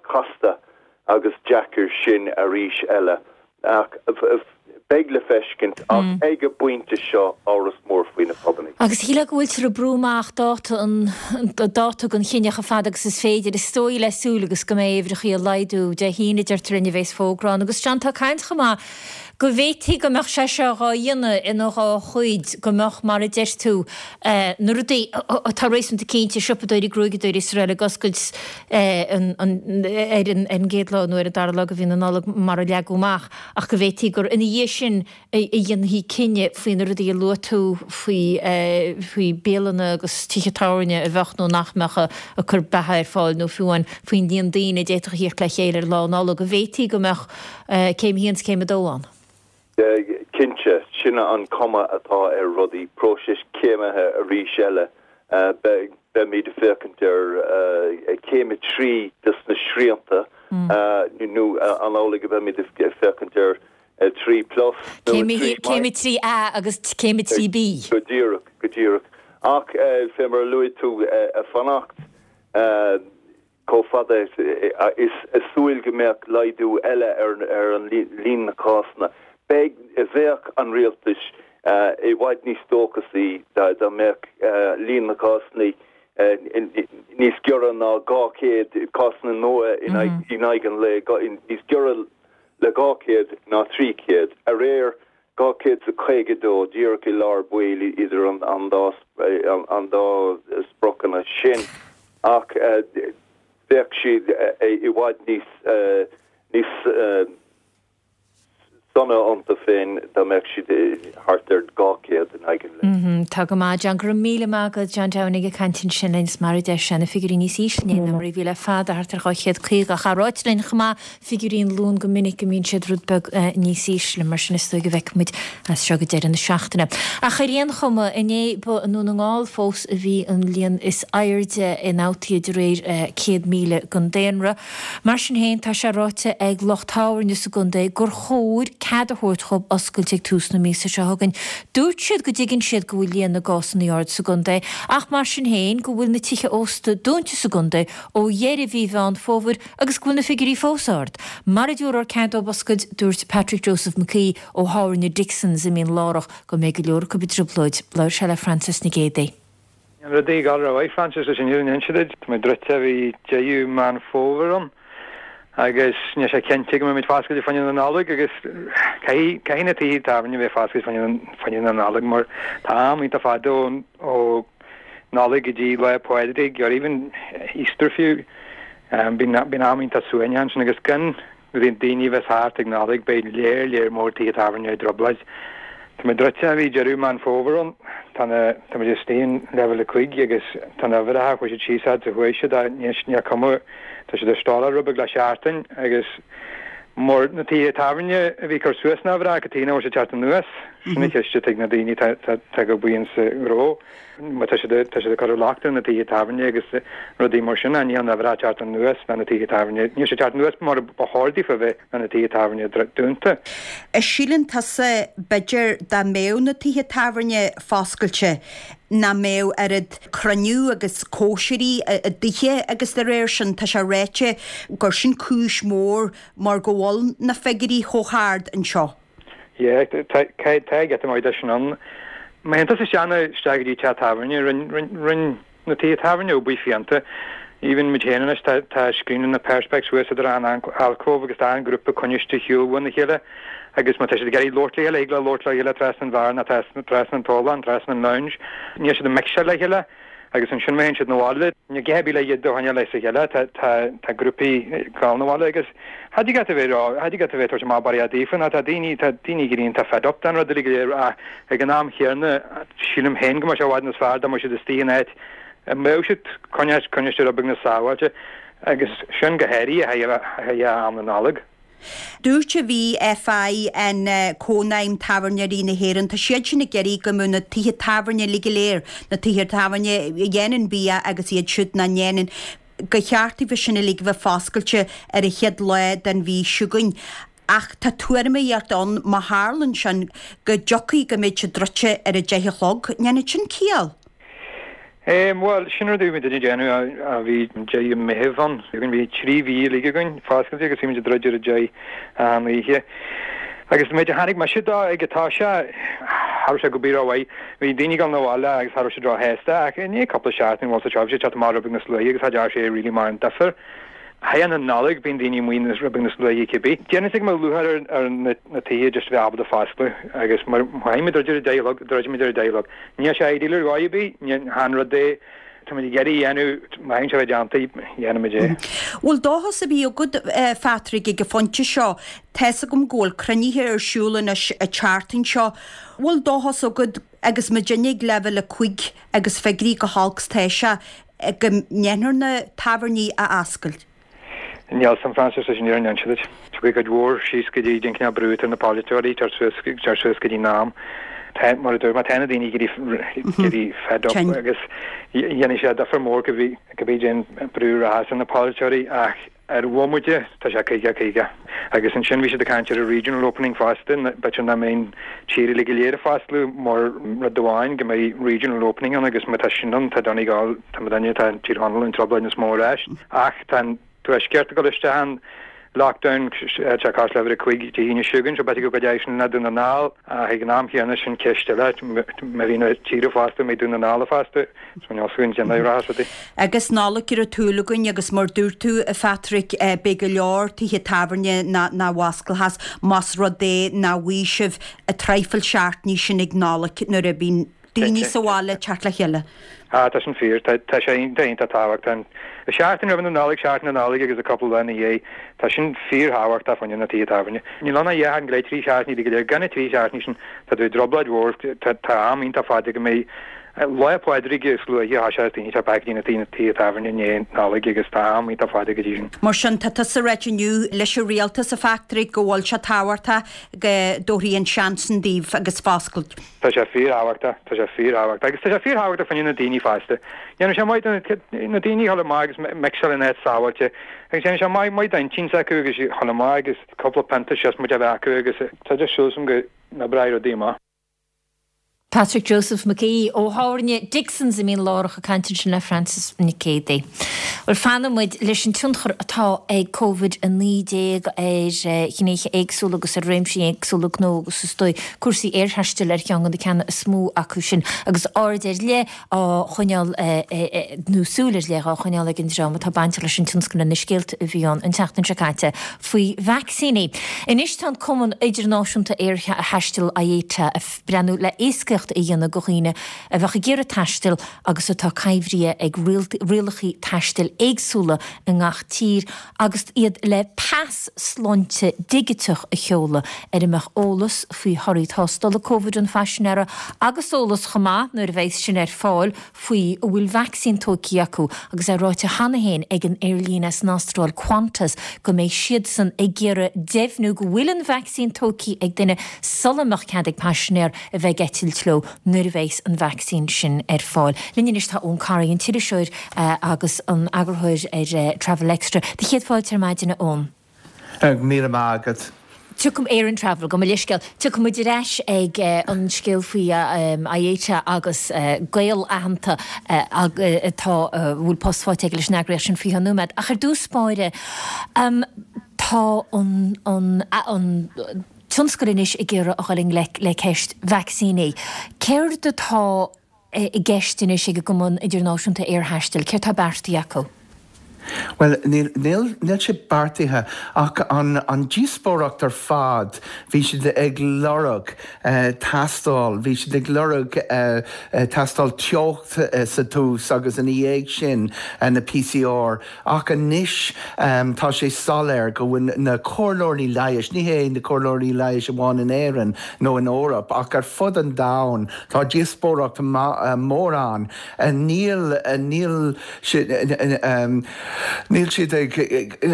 casta agus deacair sin arís eile. Ach beidh le feiscint, ach ag an bpointe seo, amhras mór faoi na pubannaí. Agus shílfeá go bhfuiltear ag brú amach dáta an dáta don chinneadh chomh fada agus is féidir, is dóigh le súil agus go mbeidh uimhreachaí ag laghdú. Dé hAoine, deirtear linn, a bheas fógra ann. Agus John, tá caint chomh maith go bhféadfaí go mbeadh sé seo dhá dhéanamh ina dhá chuid, go mbeadh, mar a deir tú, na rudaí atá réasúnta cinnte, siopadóirí, gruaigeadóirí is araile ag oscailt ar an gcéad lá nó ar an dara lá de mhí na Nollag mar a leagadh amach, ach go bhféadfaí gur ina dhiaidh sin a dhéanfaí cinneadh faoi na rudaí a luaigh tú faoi faoi bialanna agus tithe tábhairne a bheadh nó nach mbeadh ag cur beatha ar fáil nó fiú amháin faoin líon daoine a d'fhéadfadh a thíocht le chéile ar Lá Nollag, go bhféadfaí go mbeadh céim a haon is céim a dó ann. Cinnte, sin an cuma atá ar rudaí, próiseas céimithe arís eile. Beimid ag féachaint ar céim a trí des na srianta, nó an amhlaidh go mbeimid ag féachaint ar a trí plus nó a trí Céim a trí A agus céim a trí B. Go díreach, go díreach. Ach fé mar a luaigh tú, ag fanacht chomh fada is ag súil go mbeadh laghdú eile ar an líon na cásanna, beidh, bheadh an rialtas i bhfad níos dóchasaí dá mbeadh líon na cásanna níos giorra ná dhá chéad cásanna nua in aghaidh an lae, níos giorra le dhá chéad ná trí chéad. Aréir, dhá chéad is a caoga dó, díreach i lár baill idir an dá an dá spriocanna sin. Ach bheadh siad i bhfad níos níos sona iontu féin dá mbeadh siad thart ar dhá chéad in aghaidh an lae. Tá go maith, John. Go raibh míle maith agat, John Downing ag caint ansin linn. Is mar a deir sé, na figiúirí níos ísle inné ná mar a bhí le fada, thart ar dhá chéad caoga. Ach ráite linn chomh maith, figiúirí an Luain go minic go mbíonn siad rud beag níos ísle, mar sin is dóigh go bhfeicfidh muid as seo go deireadh na seachtaine. Ach ar aon chuma, inné ba i nDún na nGall fós a bhí an líon is airde ionfhabhtaithe de réir céad míle den daonra. Mar sin féin, tá sé ráite ag lucht tábhairne sa gcontae gur chóir cead a thabhairt dhóibh oscailt ag tús na míosa seo chugainn. Dúirt siad go dtuigeann siad go bhfuil líon na gcásanna ard sa gcontae ach mar sin féin go bhfuil na tithe ósta dúnta sa gcontae ó dheireadh mhí Mheán Fómhair agus go bhfuil na figiúirí fós ard. Mara dtabharfar cead dóibh oscailt, dúirt Patrick Joseph McKee ó thábhairne Dixon's i Mín Lárach go mbeidh go leor acu i dtrioblóid. Labhair sé le Frances Nic Géadaigh. An rud é gal raibh Frances leis an fhírinne a inse duit, tá muid druidte ó bhí deireadh Meán Fómhair ann agus níl sé cinnte go mbeimid foscailte fá choinne na Nollag agus caithfidh caithfidh na tithe tábhairne bheith foscailte fá choinne fá choinne na Nollag mar tá am iontach fada ó ó Nollaig go dtí Lá Pádraig or even Easter fiú. Bíonn bíonn am iontach suaimhneach ansin agus gan daoine a bheith thart ag Nollaig beidh léar léar mór tithe tábhairne i dtrioblóid. Tá muid druidte ó bhí deireadh Meán Fómhair ann. Tá na, tá muid istigh in leibhéal a cúig agus tá na huimhreacha, chuaigh siad síos fhad is a chuaigh siad ach níl, níl cuma, tá siad ag stealladh rud beag le seachtain agus mar na tithe tábhairne a bhí ag cur suas na huimhreacha, cad chuige nach bhfuil siad ag teacht anuas? Sin an cheist atá ag na daoine atá, atá, atá ag obair insa ghnó. Má tá siad, tá siad ag cur an locht ar na tithe tábhairne agus rudaí mar sin, ach níl na huimhreacha ag teacht anuas le na tithe tábhairne, níl siad ag teacht anuas mar ba chóir daofa a bheith le na tithe tábhairne dúnta. An síleann tusa, b'fhéidir, dá mbeadh na tithe tábhairne foscailte, nach mbeadh oiread cruinniú agus cóisirí i dtithe agus dá réir sin, tá sé ráite gur sin cúis mhór mar go bhfuil na figiúirí chomh hard anseo. Yeah, tá tá giota maith de sin ann. Má théann tusa isteach isteach go dtí teach tábhairne, rinn rinn rinn na tithe tábhairne obair fiánta. Even muid féin anois, tá tá scrín na perspex suas idir an alcove agus tá an grúpa coinniste ar shiúl óna chéile agus má tá siad ag iarraidh labhairt le chéile, thig leo labhairt le chéile trasna an bheár nó trasna trasna an tolláin, trasna an lounge. Níl siad ag mixáil le chéile. Agus ansin má théann siad 'na bhaile, níl a dhath ar bith le iad a choinneáil as a chéile, tá, tá, tá grúpaí ag gabháil 'na bhaile agus cha dtig leat a bheith ag rá, cha dtig leat a bheith ag tabhairt amach barraíocht daofa nó tá daoine, tá daoine ag éirí iontach fed up den rud uilig go léir ach ag an am chéanna sílim féin go mbeadh sé i bhfad níos fearr dá mbeadh siad istigh in áit a mbeadh siad coinneáil, coinneáil rud beag níos sábháilte agus sin go háirithe a thaobh am na Nollag. Dúirt an VFI, an Cónaidhm Tábhairneoirí na hÉireann, tá siad sin ag iarraidh go mbeadh na tithe tábhairne uilig go léir, na tithe tábhairne a dhéanann bia agus iad siúd nach ndéanann, gur cheart daofa sin uilig a bheith foscailte ar an chéad lá den mhí seo chugainn. Ach tá tuairimíocht ann má tharlann sin go dtiocfaidh go mbeidh siad druidte ar a deich a chlog. Ndéanann sin ciall? Bhuel, sin rud a bhí muid ag déanamh a bhí deireadh Meitheamh ann. Bhí trí mhí uilig againn foscailte agus bhí muid ag druid ar a deich an oíche. Agus an méid a chonaic mise dó ag an toiseach, cha raibh sé go bith rómhaith. Bhí daoine ag dul 'na bhaile agus cha raibh siad róshásta ach i ndiaidh cúpla seachtain bhuel sa tseó bhí siad ag teacht amach rud beag níos luaithe agus cha dtearn sé really mórán difear. Thar an Nollaig bíonn daoine amuigh rud beag níos luaithe cibé. Déarfainn go mbeadh lúcháir ar ar na tithe just a bheith ábalta foscladh agus mar chaithfidh muid druid ar a deich a chlog, druidfidh muid ar a deich a chlog. Níl sé ideal ar dhóigh ar bith, ní han rud é Tá muid ag iarraidh a dhéanamh, má thagann sé a bheith déanta, dhéanfaimid é. Bhfuil dóchas ar bith agat, a Phatrick, ag an phointe seo? Tá's agam go bhfuil cruinnithe ar siúl anois an tseachtain seo. Bhfuil dóchas agat, agus muidinne ag leibhéal a cúig agus figiúirí chomh holc is tá sé, go ndéanfar na tábhairní a oscailt? Níl 's a'm Frances leis an fhírinne a inse duit. Chuaigh cuid mhór síos go dtí an cineál brú atá ar na polaiteoirí teacht suas teacht suas go dtí an am. Tá mar a dúirt mé tá na daoine ag éirí fed up agus dhéanfaidh sé difear mór cibé cibé cén brú a rachas ar na polaiteoirí ach ar bhomaite tá sé caoga caoga. Agus ansin bhí siad ag caint ar an regional opening fosta, b'fhéidir nach mbeidh an tír uilig go léir ag foscladh mar rud amháin go mbeidh regional opening ann agus má tá sin ann tá Donegal tá muidinne tá Tír Chonaill i dtrioblóid níos mó ar ais ach tá an Tuaisceart ag dul isteach in lockdown tá cás leibhéal a cúig Dé hAoine seo chugainn, so b'fhéidir go gcuideoidh sin le Dún na nGall ach ag an am chéanna sin ceist eile, má bhíonn an tír ag foscladh, an mbeidh Dún na nGall ag foscladh, so níl 's againn cén dóigh a rachas rudaí. Agus Nollaig ar an tsúil againn agus mar dúirt tú a Phatrick, beidh go leor tithe tábhairne nach bhfosclóchas más rud é nach bhfaighidh sibh an traidhfil seachtainí sin ag Nollaig nuair a bhíonn daoine sa bhaile ag teacht le chéile. Ah, tá sin fíor. Tá tá sé iontach iontach tábhachtach. An seachtain roimh na Nollag, seachtain na Nollag agus an cúpla lá ina dhiaidh, tá sin fíorthábhachtach fá choinne na tithe tábhairne. Níl ann ach dhá sheachtain go leith, trí seachtainí go léir. Gan na trí seachtainí sin, tá tú i dtrioblóid mhór. Tá tá am iontach fada go mbeidh Lá Pádraig is luaithe a thoiseos daoine teacht go dtí na na tithe tábhairne i ndiaidh Nollag agus tá am iontach fada go dtí sin. Mar sin, tá tusa ag ráit inniu leis an rialtas, a Phatrick, go bhfuil sé tábhachtach go dtabharfaí an seans sin daoibh agus foscailt. Tá sé fíorthábhachtach, tá sé fíorthábhachtach agus tá sé fíorthábhachtach fá choinne na daoine fosta. Dhéanfaidh sé maith do na daoine a dhul amach agus mixáil in áit sábháilte agus déanfaidh sé maith maith d'intinn s'acu agus a dhul amach agus cúpla pionta siosmaid a bheith acu agus tá just súil agam go n-oibreoidh rudaí amach. Patrick Joseph Mac Aoidh ó thábhairne Dixon's i Mín Lárach ag caint ansin le Frances Nic Géadaigh. Bhuel, fanfaidh muid leis an tionchar atá ag Covid a naoi déag ar ghnéithe éagsúla agus ar réimsí éagsúla gnó agus is dóigh cúrsaí aerthaistil ar cheann de na ceanna is mó acu sin agus aird ar leith á choinneáil nó súil ar leith á choinneáil ag an dream atá bainteach leis an tionscal ar na scéalta a bhí ann an tseachtain seo caite faoi vacsaíní. Anois tá an Cumann Idirnáisiúnta Aerthaistil, IATA, ag breathnú le éascaíocht a dhéanamh do dhaoine a bheadh ag iarraidh taisteal agus atá coimhthithe ag rialacha taistil éagsúla i ngach tír agus iad le pas sláinte digiteach a sheoladh ar a mbeadh eolas faoi thorthaí tástála Covid an phaisinéara agus eolas chomh maith, nuair a bheas sin ar fáil, faoi an bhfuil vacsaín tógtha acu agus é ráite cheana féin ag an aerlíne as an Astráil, Qantas, go mbeidh siadsan ag iarraidh deimhniú go bhfuil an vacsaín tógtha ag duine sula mbeadh cead ag paisinéir a bheith ag eitilt leo nuair a bheas an vacsaín sin ar fáil. Linn anois tá Eoin Corry, an t-iriseoir agus an eagarthóir ar Travel Extra. Do chéad fáilte ar maidin, a Eoin. Míle maith agat. Tiocfaidh Éireann Travel, gabh mo leithscéal. Tiocfaidh muid ar ais ag an scéal faoi IATA agus gaol aitheanta atá, a bhfuil post faighte aige leis an eagraíocht sin faoi cheann nóiméad. Ach ar dtús báire, tá an, an, an tionscal anois ag iarraidh a dhul i ngleic le ceist vacsaíní. Céard atá i gceist anois ag an gCumann Idirnáisiúnta Aerthaistil? Céard atá beartaithe acu? Bhuel, níl, níl, níl sé beartaithe ach an, an díospóireacht ar fad, bhí siad ag lorg tástáil, bhí siad ag lorg tástáil teocht sa tús agus ina dhiaidh sin na PCR ach anois tá sé soiléir go bhfuil na comhairleoirí leighis, ní hé na comhairleoirí leighis amháin in Éirinn nó in Eoraip ach ar fud an domhain, tá díospóireacht mhór ann, níl, níl. Níl siad ag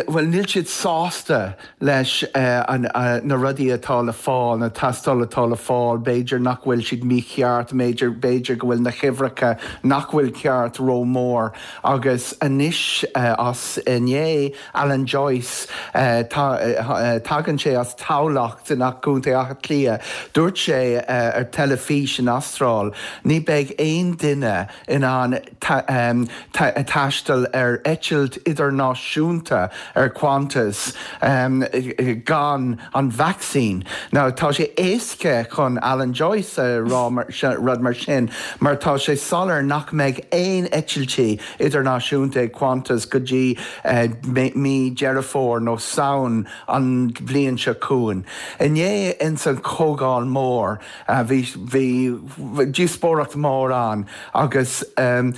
bhuel níl siad sásta leis an na rudaí atá le fáil, na tástáil atá le fáil, b'fhéidir nach bhfuil siad mícheart, b'fhéidir b'fhéidir go bhfuil na huimhreacha nach bhfuil ceart rómhór agus anois as inné Alan Joyce tagann sé as Tamhlacht in Contae Átha Cliath, dúirt sé ar teilifís in Astráil, ní beidh aon duine in ann taisteal ar eitilt idirnáisiúnta ar Qantas gan an vacsaín. Now tá sé éasca chun Alan Joyce a rá rud mar sin, mar tá sé soiléir nach mbeidh aon eitiltí idirnáisiúnta ag Qantas go dtí mí Deireadh Fómhair nó Samhain an bhliain seo chugainn. Inné ins an Chomhdháil Mór bhí bhí díospóireacht mór ann agus an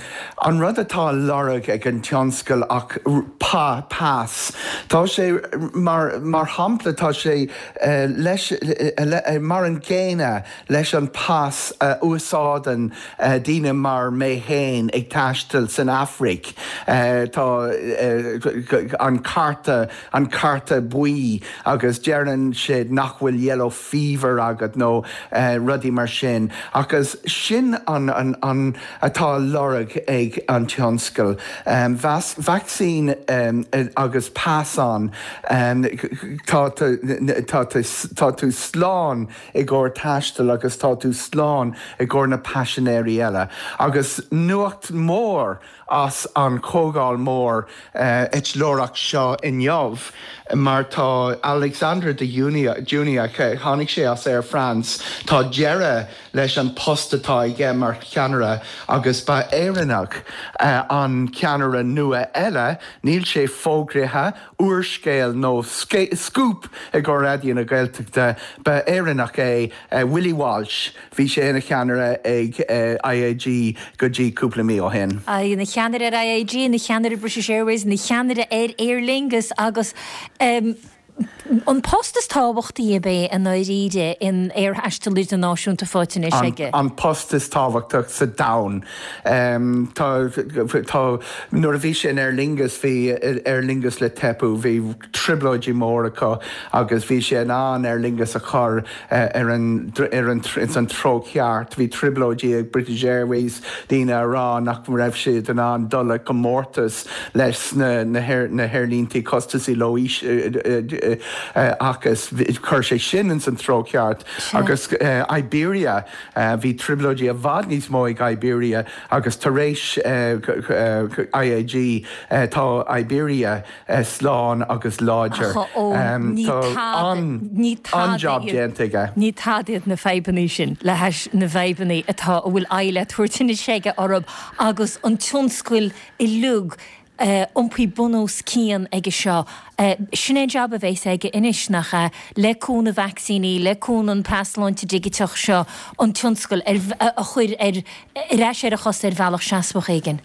rud atá á lorg ag an tionscal ach pa pas. Tá sé mar mar shampla tá sé leis mar an gcéanna leis an pas a úsáideann daoine mar mé féin ag taisteal san Afraic. Tá an cárta an cárta buí agus deireann siad nach bhfuil yellow fever agat nó rudaí mar sin agus sin an an an atá á lorg ag an tionscal. Vacsaín agus pas ann tá tá tú slán i gcomhair taistil agus tá tú slán i gcomhair na paisinéirí eile. Agus nuacht mór as an Chomhdháil Mór eitleoireacht seo inniu mar tá Alexandre de Juniac, tháinig sé as Air France, tá deireadh leis an post atá aige mar cheannaire agus ba Éireannach an ceannaire nua eile, níl sé fógraithe, úrscéal nó scúp i gcomhair Raidió na Gaeltachta, ba Éireannach é Willie Walsh, bhí sé ina cheannaire ag IAG go dtí cúpla mí ó shin. Ina cheannaire ar IAG, ina cheannaire British Airways, ina cheannaire ar Aer Lingus agus an post is tábhachtaí ab é i ndáiríre in aerthaisteal idirnáisiúnta faighte anois aige. An post is tábhachtach sa domhan. Tá tá nuair a bhí sé in Aer Lingus bhí Aer Lingus le teipeadh, bhí trioblóidí mór acu agus bhí sé in ann Aer Lingus a chur ar an ar an ins an treo ceart. Bhí trioblóidí ag British Airways, daoine a rá nach raibh siad in ann dul i gcomórtas leis na na haerlíntí costasaí leo agus chuir sé sin ins an treo ceart agus Iberia bhí trioblóidí i bhfad níos mó ag Iberia agus tar éis IAG tá Iberia slán agus láidir. Tá an-job déanta aige. Ní tada iad na fadhbanna sin le hais na bhfadhbanna atá a bhfuil aghaidh le tabhairt anois aige orthu agus an tionscal uilig iompaithe bun os cionn aige seo. Sin é an jab a bheas aige anois, nach ea? Le cúnamh vacsaíní, le cúnamh an pas sláinte digiteach seo, an tionscal a chur ar ais ar a chosa ar bhealach seasmhach éigin.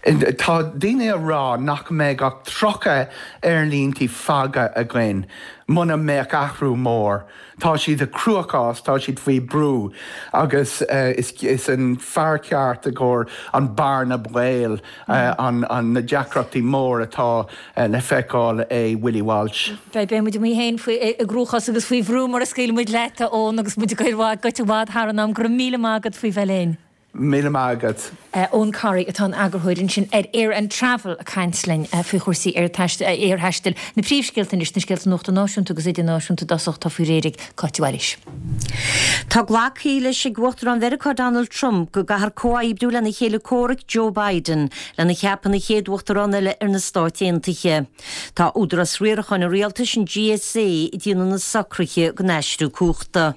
Tá daoine ag rá nach mbeidh ach tríocha aerlíntí fágtha againn muna mbeadh athrú mór. Tá siad i gcruachás, tá siad faoi brú agus is an fear ceart i gcomhair an bearna baoil, an na deacrachtaí mór atá le feiceáil é Willie Walsh. Beidh muid amuigh féin faoi i gcruachás agus faoi bhrú mura scaoilfidh muid leat, a Eoin, agus muid ag goil i bhfad thar an am. Go raibh míle maith agat faoi bheith linn. Míle maith agat. Eoin Corry atá ina eagarthóir ansin ar Air and Travel ag caint linn faoi chúrsaí aerthaistil. Na príomhscéalta anois, na scéalta nuachta náisiúnta agus idirnáisiúnta i dtosach, atá faoi réir ag Cáit Mhaoilís. Tá glactha leis ag Uachtarán Mheiriceá Donald Trump go gcaithfear comhoibriú lena chéile comhraic Joe Biden lena cheapadh ina chéad Uachtarán eile ar na Stáit Aontaithe. Tá Údarás Riaracháin an Rialtais, an GSA, ag déanamh na socruithe don aistriú cumhachta.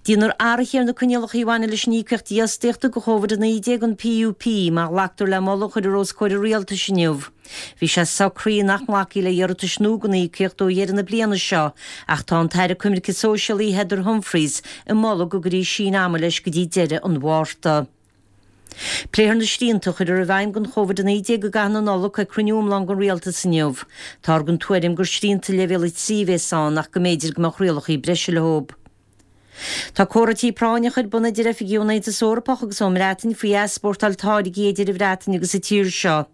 Déanfar athruithe ar na coinníollacha a bhaineann leis an íocaíocht dífhostaíochta do Chóivid a naoi déag, an PUP, má ghlactar le moladh a chuirfear os comhair an rialtais inniu. Bhí sé socraithe nach nglacfaí le hiarratais nua don íocaíocht ó dheireadh na bliana seo ach tá an tAire Coimirce Sóisialaí Heather Humphreys ag moladh go gcuirfí síneadh ama leis go dtí deireadh an Mhárta. Pléifear na srianta a chuirfear i bhfeidhm don Chóivid a naoi déag i gcaitheamh na Nollag ag cruinniú iomlán den Rialtas inniu. Táthar den tuairim gur srianta leibhéal a trí a bheas ann ach go mb'fhéidir go mbeadh rialacha breise leo. Tá comhráití práinneacha ar bun idir oifigigh ón Aontas Eorpach agus ón mBreatain faoi easpórtáil táirgí idir an Bhreatain agus an tír seo.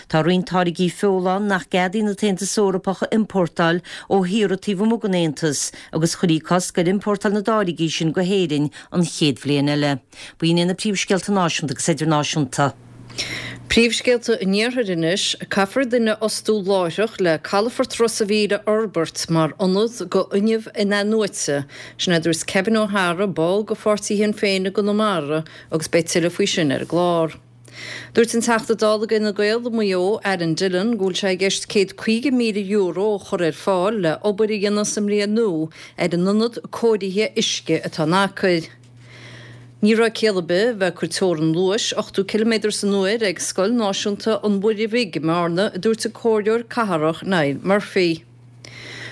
Tá roinnt táirgí feola ann nach gceadaíonn an tAontas Eorpach a iompórtáil ó thíortha taobh amuigh den Aontas agus chuirfí cosc ar iompórtáil na dtáirgí sin go hÉirinn an chéad bhliain eile. B'in iad na príomhscéalta náisiúnta agus idirnáisiúnta. Príomhscéalta an Iarthair anois, Caithfear duine a fhostú láithreach le calafort Ros a' Mhíl a fhorbairt mar ionad go fhuinneamh in-athnuaite. Sin a dúirt Kevin O'Hara, ball go pháirtí Shinn Féin i gConamara agus beidh tuilleadh faoi sin ar an gclár. Dúirt an Teachta Dála ag Fhine Gael i Maigh Eo, Aaron Dillon, go bhfuil sé i gceist céad caoga míle euro a chur ar fáil le obair a dhéanamh sa mbliain nua ar an ionad cóirithe uisce atá in Acaill. Ní raibh ciall ar bith a bheith ag cur teorann luais ochtó ciliméadar san uair ag Scoil Náisiúnta an Mhuire Bhig i mBearna, a dúirt an Comhairleoir Cathrach Niall Murphy.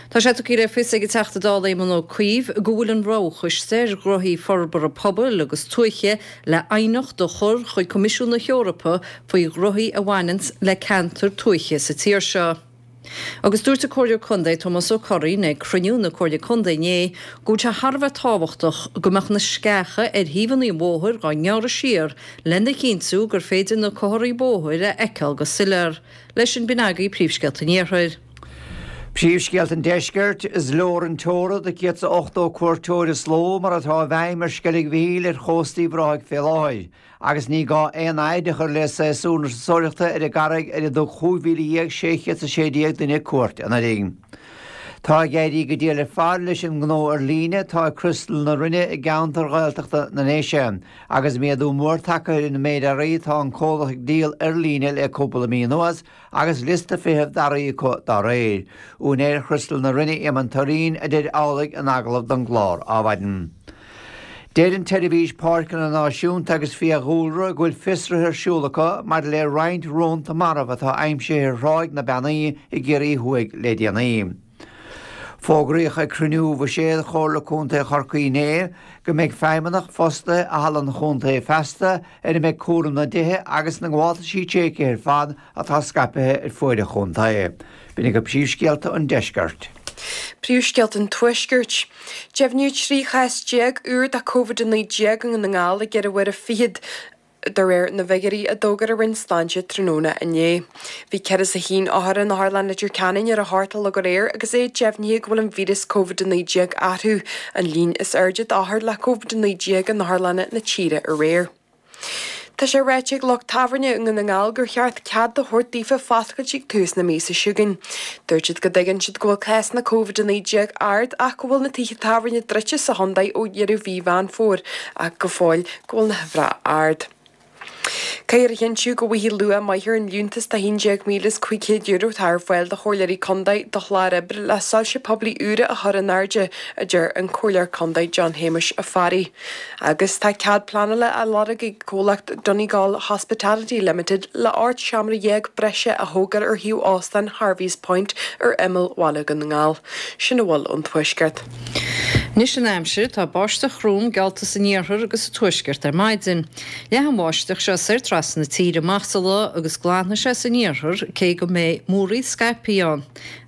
Tá sé tugtha le fios ag an Teachta Dála Éamon Ó Cuív go bhfuil an Roghchoiste ar Ghnóthaí Forbartha Pobail agus Tuaithe le aighneacht a chur chuig Coimisiún na hEorpa faoi ghnóthaí a bhaineanns le ceantair tuaithe sa tír seo. Agus dúirt an Comhairleoir Contae Tomás Ó Curraoin ag cruinniú na Comhairle Contae inné go bhfuil sé thar a bheith tábhachtach go mbeadh na sceacha ar thaobhanna an bhóthair dhá ngearradh siar lena chinntiú gur féidir na comharthaí bóthair a fheiceáil go soiléir. Leis sin b'in agaibh príomhscéalta an Iarthair. Príomhscéalta an Deiscirt, Is leor an teora do céad 's a ochtó cuairteoir is ló mar atá i bhfeidhm ar Sceilg Mhichíl ar chósta Uíbh Ráthaigh fé láthair, agus ní gá aon fhaid a chur le séasúr na turasóireachta ar an gcarraig ar a dtug chúig mhíle dhéag sé chéad 's a sé déag duine cuairt anuraidh. Tá ag éirí go diail ar fad leis an ngnó ar líne atá ag Criostal na Rinne i gceantar Ghaeltachta na nDéise, agus méadú mór tagtha ar an méid earraí atá an comhlacht ag díol ar líne le cúpla mí anuas, agus liosta feithimh d'earraí acu dá réir. Úinéir Chriostal na Rinne, Éamonn Turraoin, a deir amhlaidh in agallamh don gclár Adhmhaidin. Deir an tSeirbhís Páirceanna Náisiúnta agus Fiadhúlra go bhfuil fiosruithe ar siúl acu maidir le roinnt rónta marbh atá aimsithe ar Thráigh na Beannaí i gCiarraí Thuaidh le déanaí. Fógraíodh ag cruinniú bhuiséad Chomhairle Contae Chorcaí inné go mbeidh feidhmeannach fostaithe i Halla an Chontae feasta ar a mbeidh cúram na dtithe agus na ngabháltaisí tréigthe ar fad atá scaipthe ar fuaid an chontae. B'in agaibh príomhscéalta an deiscirt. Príomhscéalta an Tuaiscirt. Deimhníodh trí chás déag úr de Covid a naoi déag i nDún na nGall i gceithre huaire fichead. De réir na bhfigiúirí a d'fhógair an Roinn Sláinte tráthnóna inné, bhí ceithre is a haon othar in Otharlann Leitir Ceanainn ar a hocht a chlog aréir agus é deimhnithe go bhfuil an víreas Covid a naoi déag orthu, an líon is airde d'othair le Covid a naoi déag in otharlanna na tíre aréir. Tá sé ráite ag lucht tábhairne i nDún na nGall gur cheart cead a thabhairt daofa foscailt ag tús na míosa seo chugainn. Dúirt siad go dtuigeann siad go bhfuil cásanna Covid a naoi déag ard ach go bhfuil na tithe tábhairne druidte sa chontae ó dheireadh mhí Mheán Fómhair ach go fóill go bhfuil na huimhreacha ard. Caithfear a chinntiú go bhfaighidh luach maith ar an liúntas de haon déag míle is cúig chéad euro atá ar fáil do chomhairleoirí contae do chlár oibre le soilse poiblí úra a chur in airde, a deir an Comhairleoir Contae John Shéamuis Ó Fearraigh. Agus tá cead pleanála á lorg ag comhlacht Donegal Hospitality Limited le ocht seomra dhéag breise a thógáil ar shuíomh óstán Harvey's Point ar imeall bhaile Dhún na nGall. Sin a bhfuil ón Tuaisceart. Anois an aimsir, tá báisteach throm geallta san iarthar agus sa tuaisceart ar maidin. Leathfaidh an bháisteach seo soir trasna na tíre amach sa lá agus glanfaidh sé san iarthar cé go mbeidh múraíl scaipthe ann.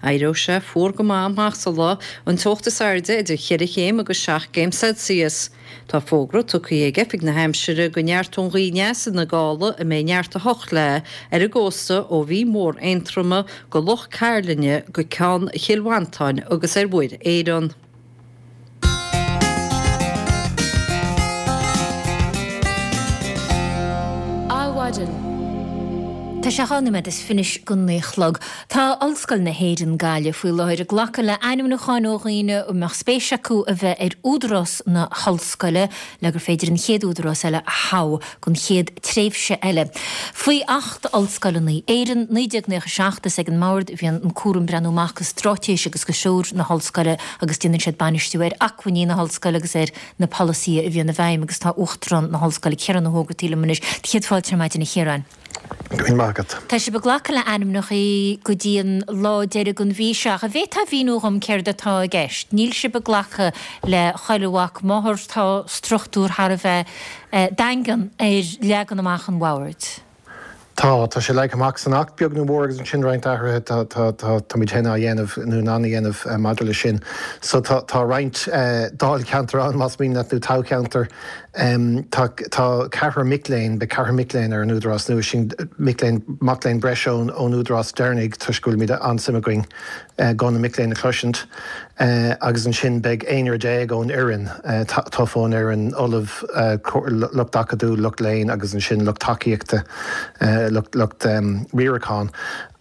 Éireoidh sé fuar go maith amach sa lá, an teocht is airde idir cheithre chéim agus seacht gcéim Celsius. Tá fógra tugtha ag Oifig na hAimsire go neartóidh an ghaoth aneas ina gála a mbeidh neart a hocht léi ar an gcósta ó Mhí Mhór Aontroma go Loch Cairlinne go Ceann Chill Mhantáin agus ar Mhuir Éireann. Adhmhaidin. Tá sé dhá nóiméad is fiche go naoi a chlog. Tá Ollscoil na hÉireann, Gaillimh faoi láthair ag glacadh le ainmniúcháin ó dhaoine a mbeadh spéis acu a bheith ar údarás na hollscoile le gur féidir an chéad údarás eile a thoghadh don chéad tréimhse eile. Faoi Acht Ollscoileanna Éireann, naoi déag naocha seacht, is ag an mBord a bhíonn an cúram breathnú amach go straitéis agus go threoir na hollscoile agus déanann siad bainistiú ar acmhainní na hollscoile agus ar na polasaithe a bhíonn i bhfeidhm agus tá Uachtarán na hOllscoile, Ciarán Ó hÓgartaigh liom anois. Céad fáilte ar maidin a Chiaráin. Go raibh maith agat. Tá sibh ag glacadh le ainmneacha go dtí an lá deiridh den mhí seo. Ach an bhféadfá a mhíniú dhom céard atá i gceist? Níl sibh ag glacadh le chuile mhac máthar, tá struchtúr thar a bheith daingean ar leagan amach an bhoird. Tá tá sé leagtha amach san Acht beag nó mór agus ansin roinnt athruithe tá tá tá táimid féin á dhéanamh nó in ann a dhéanamh maidir leis sin. So tá tá roinnt dáilcheantar ann más mian leat nó toghcheantar. Tá tá ceathrar mic léinn, beidh ceathrar mic léinn ar an Údarás nua sin, mic léinn mac léinn breise ón ón Údarás deireanaigh toisc go bhfuilimid an-suim againn guth na mic léinn a chloisint. Agus ansin beidh aonrar déag ón fhoireann, tofa ón fhoireann, ollamh, lucht acadúil, lucht léinn agus ansin lucht tacaíochta, lucht riaracháin.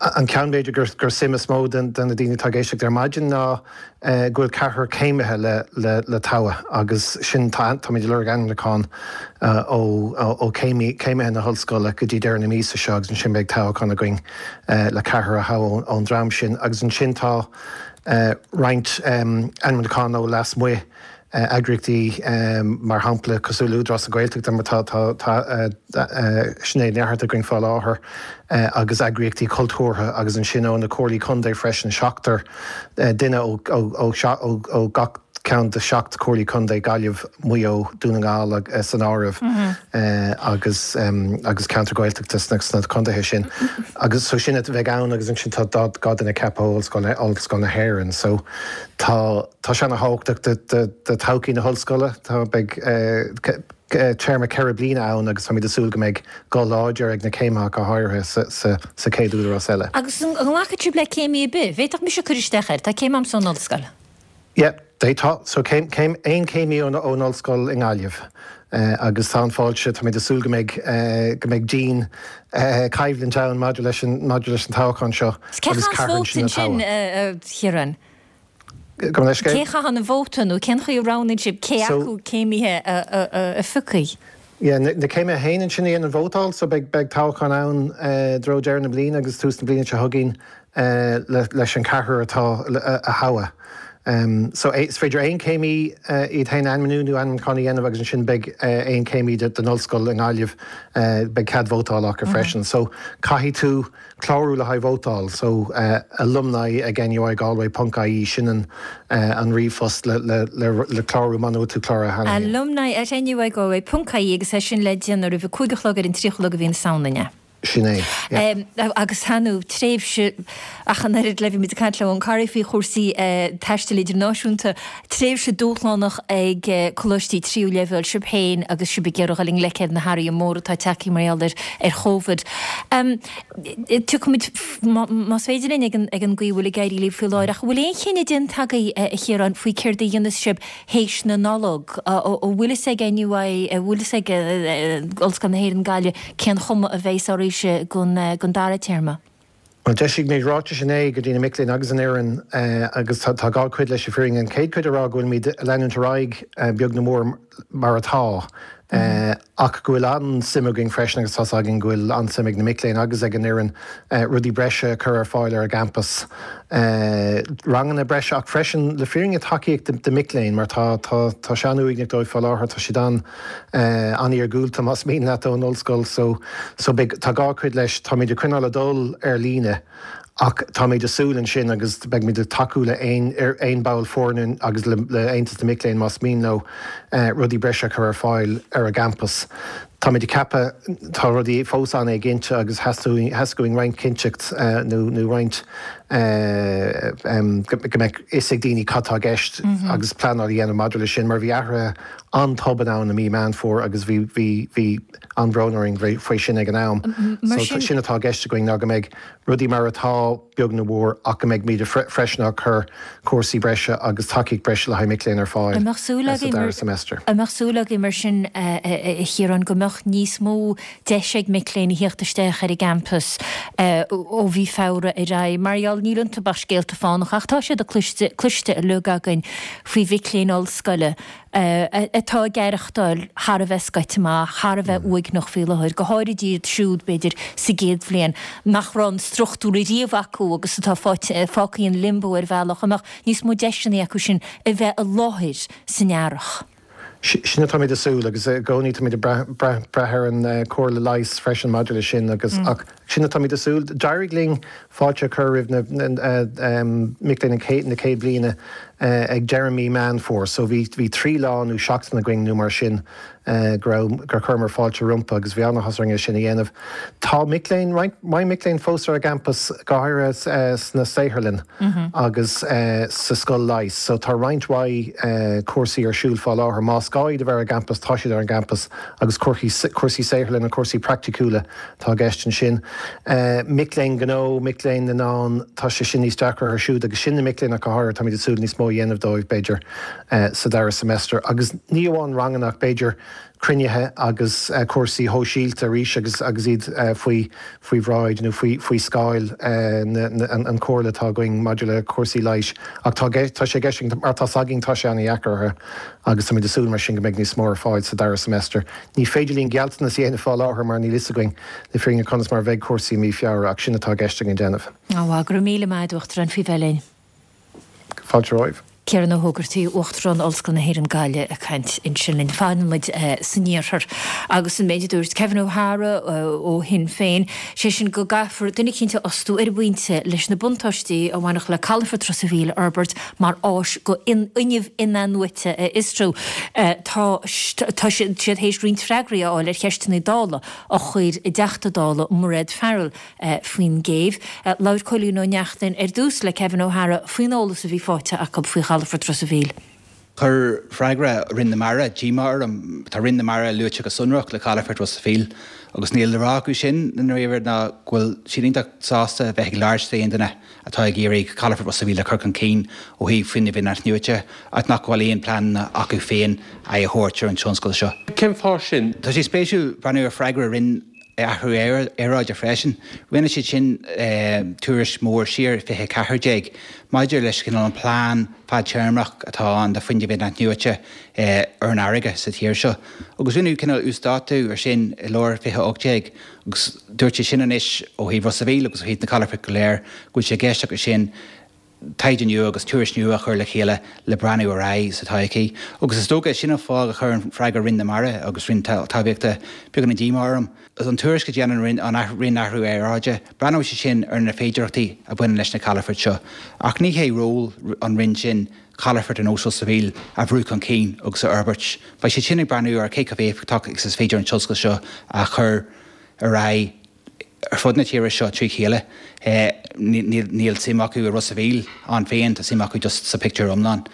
An ceann b'fhéidir gur gur suim is mó de na daoine atá ag éisteacht ar maidin ná go bhfuil ceathrar céimithe le le le toghadh agus sin tá táimid ag lorg ainmniúchán ó ó céimithe na hollscoile go dtí deireadh na míosa seo agus ansin beidh toghchán againn le ceathrar a thoghadh ón dream sin agus ansin tá roinnt ainmniúchán ó lasmuigh, eagraíochtaí mar shampla cosúil le Údarás na Gaeltachta mar tá tá Sinéad Ní Fhátharta againn fá láthair agus eagraíochtaí cultúrtha agus ansin ó na comhairlí contae freisin, seachtar duine ó ó ó gach ceann de sheacht comhairlí contae, Gaillimh, Maigh Eo, Dún na nGall san áireamh agus agus ceantar Gaeltachta sna sna contaetha sin. Agus so sin a bheidh ann agus ansin tá dhá duine ceaptha ó Ollscoil Ollscoil na hÉireann. So tá tá sé ana-thábhachtach do do do todhchaí na hollscoile. Tá beidh téarma ceithre bliana ann agus táimid ag súil go mbeidh guth láidir ag na céimithe go háirithe sa sa sa chéad údarás eile. Agus an nglacfaidh sibh le céimí ar bith? Bhféadfadh mise cur isteach air, tá céim a'msa ón ollscoil. Yeah, d'fhéadfá. So céim, céim, aon chéimí ón, ón ollscoil i nGaillimh. Agus tá an-fháilte, táimid ag súil go mbeidh, go mbeidh dian coimhlint ann maidir leis an, maidir leis an toghchán seo Cé agus chaitheann ceathrar vóta ansin a ansin, toghadh. a Chiaráin? Gabh mo leithscéal? Cé chaitheann an vóta nó cén chaoi a roghnaíonn sibh cé So, acu céimithe a, a, a, a phiocfaidh? Yeah, na, na céimithe féin ansin a dhéanann vótáil, so beidh, beidh toghchán ann i dtreo deireadh na bliana agus tús na bliana seo chugainn leis an ceathrar atá a thoghadh. So is féidir aon chéimí iad féin a ainmniú nó ainmniúchán a dhéanamh agus ansin beidh aon chéimí den ollscoil i nGaillimh, beidh cead vótála acu freisin. So caithfidh tú clárú le haghaidh vótáil so alumni ag NUI Galway ponc ie sin an an ríomhphost le le le clárú muna bhfuil tú cláraithe cheana féin. Alumni at NUI Galway ponc ie agus é sin le déanamh roimh a cúig a chlog ar an tríocha lá de mhí na Samhna, an ea? Sin é, yeah. Agus tá nó tréimhse ach an oiread le bhí muid ag caint le Eoghan Corry faoi chúrsaí taistil idirnáisiúnta, tréimhse dúshlánach ag coláistí tríú leibhéal, sibh féin agus sibh ag iarraidh dul i ngleic ar na hathruithe móra atá tagtha mar gheall ar ar Chóvid. Tiocfaimid, más féidir linn, ag an ag an gcaoi a bhfuil ag éirí libh faoi láthair. Ach an bhfuil aon chinneadh déanta agaibh, a Chiaráin, faoi céard a dhéanfas sibh théis na Nollag? An bhfuil fhios ag NUI, an bhfuil fhios ag Ollscoil na hÉireann Gaillimh cén chuma a bheas oraibhse don don dara téarma? Bhuel, d'eisigh muid ráitis inné go dtí na mic léinn agus an fhoireann agus tá dhá chuid leis an bhfírinne. An chéad chuid a rá go bhfuilimid ag leanúint ar aghaidh beag nó mór mar atá ach go bhfuil an-suim againn freisin agus tá's againn go bhfuil an-suim ag na mic léinn agus ag an fhoireann rudaí breise a chur ar fáil ar an gcampas, ranganna breise ach freisin le fírinne tacaíocht do mhic léinn mar tá tá tá sé an-uaigneach dóibh fá láthair, tá siad an an-iargúlta más mian leat ón ollscoil so so beidh tá dhá chuid leis táimid ag coinneáil ag dul ar líne ach táimid ag súil ansin agus beimid ag tacú le aon aon ball foirne agus le le Aontas na Mic Léinn más mian leo rudaí breise a chur ar fáil ar an gcampas. Táimid ag ceapadh tá rudaí fós an-éiginnte agus theastaigh uainn roinnt cinnteacht nó nó roinnt go mbeadh fhios ag daoine cad tá i gceist agus pleanáil a dhéanamh maidir leis sin mar bhí athruithe an-tobann ann i mí Meán Fómhair agus bhí bhí bhí an-bhrón orainn faoi sin ag an am. So sin atá i gceist againn ná go mbeidh rudaí mar atá beag nó mór ach go mbeidh muid freisin ag cur cúrsaí breise agus tacaíocht breise le haghaidh mic léinn ar fáil sa dara semester. An mbeadh súil agaibh mar sin, a Chiaráin, go mbeadh níos mó deis ag mic léinn a theacht isteach ar an gcampas ó mhí Feabhra ar aghaidh? Mar gheall, níl iontu ach scéalta fánacha ach tá siad cloiste cloiste uilig againn faoi mhic léinn ollscoile atá ag aireachtáil thar a bheith scoite amach, thar a bheith uaigneach faoi láthair, go háirid iad siúd, b'fhéidir, sa gcéad bhliain, nach raibh an struchtúr ariamh acu agus atá fágtha in limbo ar bhealach, an mbeadh níos mó deiseanna acu sin a bheith i láthair san earrach. Sin atáimid ag súil agus i gcónaí táimid ag brath ar an comhairle leighis freisin maidir leis sin agus ach sin atáimid ag súil. D'éirigh linn fáilte a chur roimh na mic léinn na céad bliana ag deireadh mí Meán Fómhair. So bhí bhí trí lá nó seachtain againn nó mar sin go raibh gur chuireamar fáilte rompu agus bhí an-áthas orainn é sin a dhéanamh. Tá mic léinn roinnt mhaith mic léinn fós ar an gcampas go háirithe sna saotharlann agus sa scoil leighis. So tá roinnt mhaith cúrsaí ar siúl fá láthair. Más gá iad a bheith ar an gcampas tá siad ar an gcampas agus cúrsaí saotharlann cúrsaí praiticiúla atá i gceist ansin. Mic léinn gnó, mic léinn na ndán, tá sé sin níos deacra ar siúd agus sin na mic léinn ach go háirithe táimid ag súil níos mó a dhéanamh dóibh b'fhéidir sa dara semester. Agus ní amháin ranganna ach b'fhéidir cruinnithe agus cúrsaí shóisialta arís agus agus iad faoi faoi bhráid nó faoi faoi scáil an chomhairle atá againn maidir le cúrsaí leighis. Ach tá tá sé i gceist mar tá againn tá sé an-deacair orthu agus táimid ag súil mar sin go mbeidh níos mó ar fáil sa dara semester. Ní féidir linn gealltanas a dhéanamh fá láthair mar níl fhios againn le fírinne conas mar bheidh cúrsaí mí Feabhra ach sin atá i gceist againn déanamh. Á go raibh míle maith agat Uachtarán faoi bheith linn. Fáilte romhaibh. Ciarán Ó hÓgartaigh, Uachtarán Ollscoil na hÉireann Gaillimh ag caint ansin linn. Fanann muid san iarthar agus an méid a dúirt Kevin O'Hara ó Shinn Féin, sé sin go gcaithfear duine eicínt a fhostú ar an bpointe leis na buntáistí a bhainfeadh le calafort Ros an Mhíl a fhorbairt mar áis go fhuinneamh in-athnuaite a fhiosrú. Tá tá siad théis roinnt freagraí a fháil ar cheisteanna Dála a chuir a dTeachta Dála Mairéad Farrell faoin gcéibh. Labhair Cóilín Ó Neachtain ar dtús le Kevin O'Hara faoin eolas a bhí faighte acu faoi chalafort Ros an Mhíl. Chuir freagra Roinn na Mara díomá orm. Tá Roinn na Mara luaite go sonrach le calafort Ros an Mhíl agus níl le rá acu sin i ndáiríre ná go bhfuil siad iontach sásta bheith ag labhairt le aon duine atá ag iarraidh calafort Ros an Mhíl a chur chun cinn ó thaobh fuinneamh in-athnuaite ach nach bhfuil aon plean acu féin aghaidh a thabhairt ar an tionscal seo. Cén fáth sin? Tá sé spéisiúil breathnú ar freagra Roinn Athrú Aeráide freisin. Rinne siad sin tuairisc mhór siar fiche ceathair déag maidir leis cineál an plean fadtéarmach atá ann do fuinneamh in-athnuaite ar an fharraige sa tír seo. Agus rinneadh cineál uasdátú ar sin i lár fiche ocht déag agus dúirt siad sin anois ó thaobh Ros a' Mhíl agus ó thaobh na calafoirt go léir go bhfuil sé i gceist acu sin taighde nua agus tuairisc nua a chur le chéile le breathnú ar aghaidh sa todhchaí. Agus is dócha, sin an fáth a chuir an freagra Roinn na Mara agus Roinn Talmhaíochta beagáinín díomá orm. An tuairisc a dhéanann an Roinn Athrú Aeráide, breathnóidh siad sin ar na féidearthachtaí a bhaineann leis na calafoirt seo. Ach ní hé ról an Roinn sin calafort ar nós Ros a' Mhíl a bhrú chun cinn agus a fhorbairt. Beidh siad sin ag breathnú ar cé chomh éifeachtach agus is féidir an tionscal seo a chur ar aghaidh ar fud na tíre seo trí chéile. Níl suim acu i Ros a' Mhíl ann féin, tá suim acu just sa pictiúr iomlán.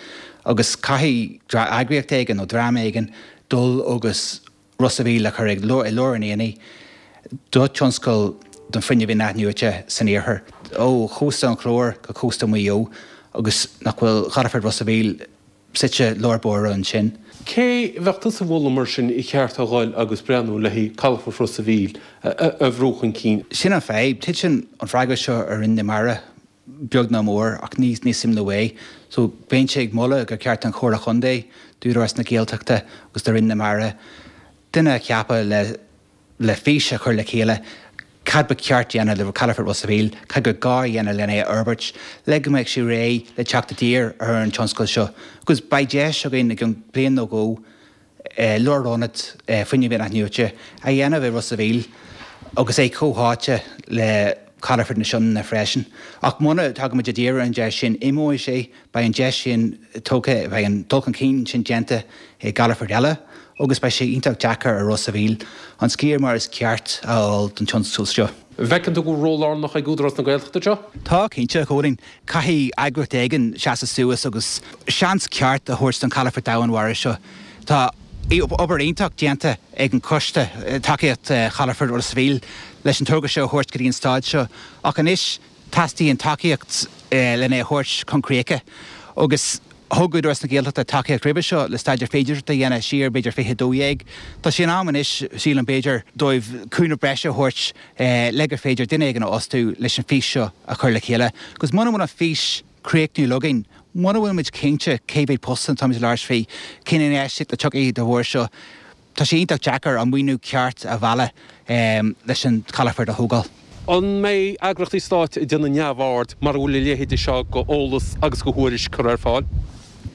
Agus caithfidh eagraíocht éigin nó dream éigin dul agus Ros a' Mhíl a chur i lár an aonaigh do tionscal don fuinneamh in-athnuaite san iarthar, ó chósta an Chláir go cósta Mhaigh Eo agus nach bhfuil Calafort Ros a' Mhíl suite lár báire ansin. Cé bheadh tusa a mholadh mar sin ar cheart a dhul agus breathnú le haghaidh Calafort Ros a' Mhíl a bhrú chun cinn? Sin an fadhb. Titeann an freagra seo ar Roinn na Mara beag nó mór ach ní ní suim leo é. So bheinnse ag moladh gur ceart don Chomhairle Chontae, d'Údarás na Gaeltachta agus do Roinn na Mara duine a cheapadh le le fís a chur le chéile cad ba cheart dhéanamh le Calafort Ros a' Mhíl, cad gur gá a dhéanamh lena é a fhorbairt, le go mbeidh sé réidh le teacht i dtír ar an tionscal seo. Agus beidh deis againn i gceann bliain nó dhó lárionad fuinnimh in-athnuaite a dhéanamh i Ros a' Mhíl agus é comhtháite le Calafort na Sionainne freisin. Ach muna dtagaimid i dtír ar an deis sin, imeoidh sé, beidh an deis sin tógtha, beidh an dul chun cinn sin déanta i gcalafoirt eile agus beidh sé iontach deacair ar Ros a' Mhíl an sciar mar is ceart a fháil don tionscal seo. An bhfeiceann tú go bhfuil ról lárnach ag Údarás na Gaeltachta anseo? Tá, cinnte, a Chóilín. Caithfidh eagraíocht éigin seasamh suas agus seans ceart a thabhairt don chalafort domhainmhara seo. Tá obair iontach déanta ag an Choiste Tacaíocht Chalafort Ros a' Mhíl leis an togra seo a thabhairt go dtí an staid seo ach anois teastaíonn tacaíocht lena é a thabhairt chun críche agus thug Údarás na Gaeltachta tacaíocht roimhe seo le staidéar féidearthachta a dhéanamh siar b'fhéidir fiche dó dhéag. Tá sé in am anois, sílim, b'fhéidir, dóibh cúnamh breise a thabhairt le gur féidir duine éigin a fhostú leis an bhfís seo a chur le chéile agus muna bhfuil an fís críochnúil againn, muna bhfuil muid cinnte cé mhéad postanna atáimid ag labhairt faoi, cén infheistíocht a tiocfaidh de bharr seo, tá sé iontach deacair an maoiniú ceart a mhealladh leis an chalafort a thógáil. An mbeidh eagraíochtaí stáit ag déanamh neamhaird mara bhfuil a leithéide seo go eolas agus go thuairisc curtha ar fáil?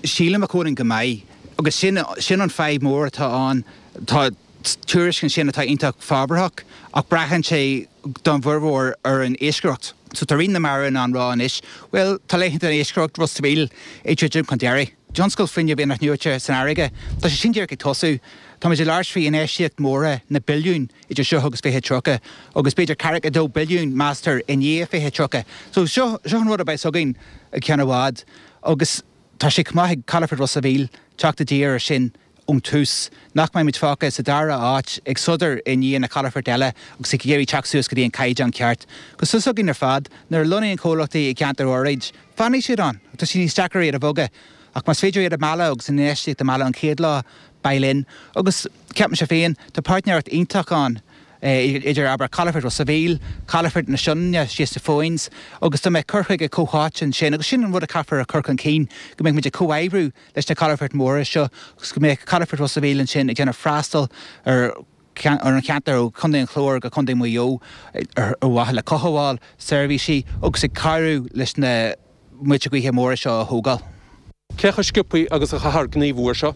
Sílim, a Chóilín, go mbeidh. Agus sin, sin an fadhb mór atá ann. Tá tuairisc ansin atá iontach fabhrach ach braitheann sé don bhformhór ar an iascaireacht. So tá Roinn na Mara in ann rá anois, bhuel, tá laethanta iascaireacht Ros a' Mhíl ag druidim chun deiridh. Tionscal fuinnimh inathnuaite san fharraige, tá sé sin díreach ag tosú. Táimid ag labhairt faoi infheistíocht mhóra na billiúin idir seo agus fiche tríocha, agus b'fhéidir ceathracha a dó billiún, meastar, i ndiaidh fiche tríocha. So seo, seo an rud a bheas againn i gceann i bhfad agus tá sé chomh maith ag Calafort Ros a' Mhíl teacht i dtír ar sin ón tús, nach mbeidh muid fágtha sa dara háit ag sodar i ndiaidh na calafoirt eile agus ag iarraidh teacht suas go dtí an caighdeán ceart. Agus tá a fhios againn ar fad, nuair a lonnaíonn comhlachtaí i gceantar áirid, fanfaidh siad ann. Tá sé níos deacra iad a bhogadh. Ach más féidir iad a mhealladh agus an infheistíocht a mhealladh an chéad lá, beidh linn. Agus ceapaimse féin, tá páirtnéireacht iontach ann idir, abair, Calafort Ros a' Mhíl, Calafort na Sionainne síos to Foynes, agus dá mbeadh cur chuige comhtháite ansin, agus sin an rud a chaithfear a chur chun cinn, go mbeadh muid ag comhoibriú leis na calafoirt mhóra seo agus go mbeadh Calafort Ros a' Mhíl ansin ag déanamh freastal ar ar an cheantar ó Chontae an Chláir go Contae Mhaigh Eo ar mhaithe le cothabháil, seirbhísí agus ag cabhrú leis na muilte gaoithe móra seo a thógáil. Cé chomh sciobtha agus a chaithfear gníomhú air seo?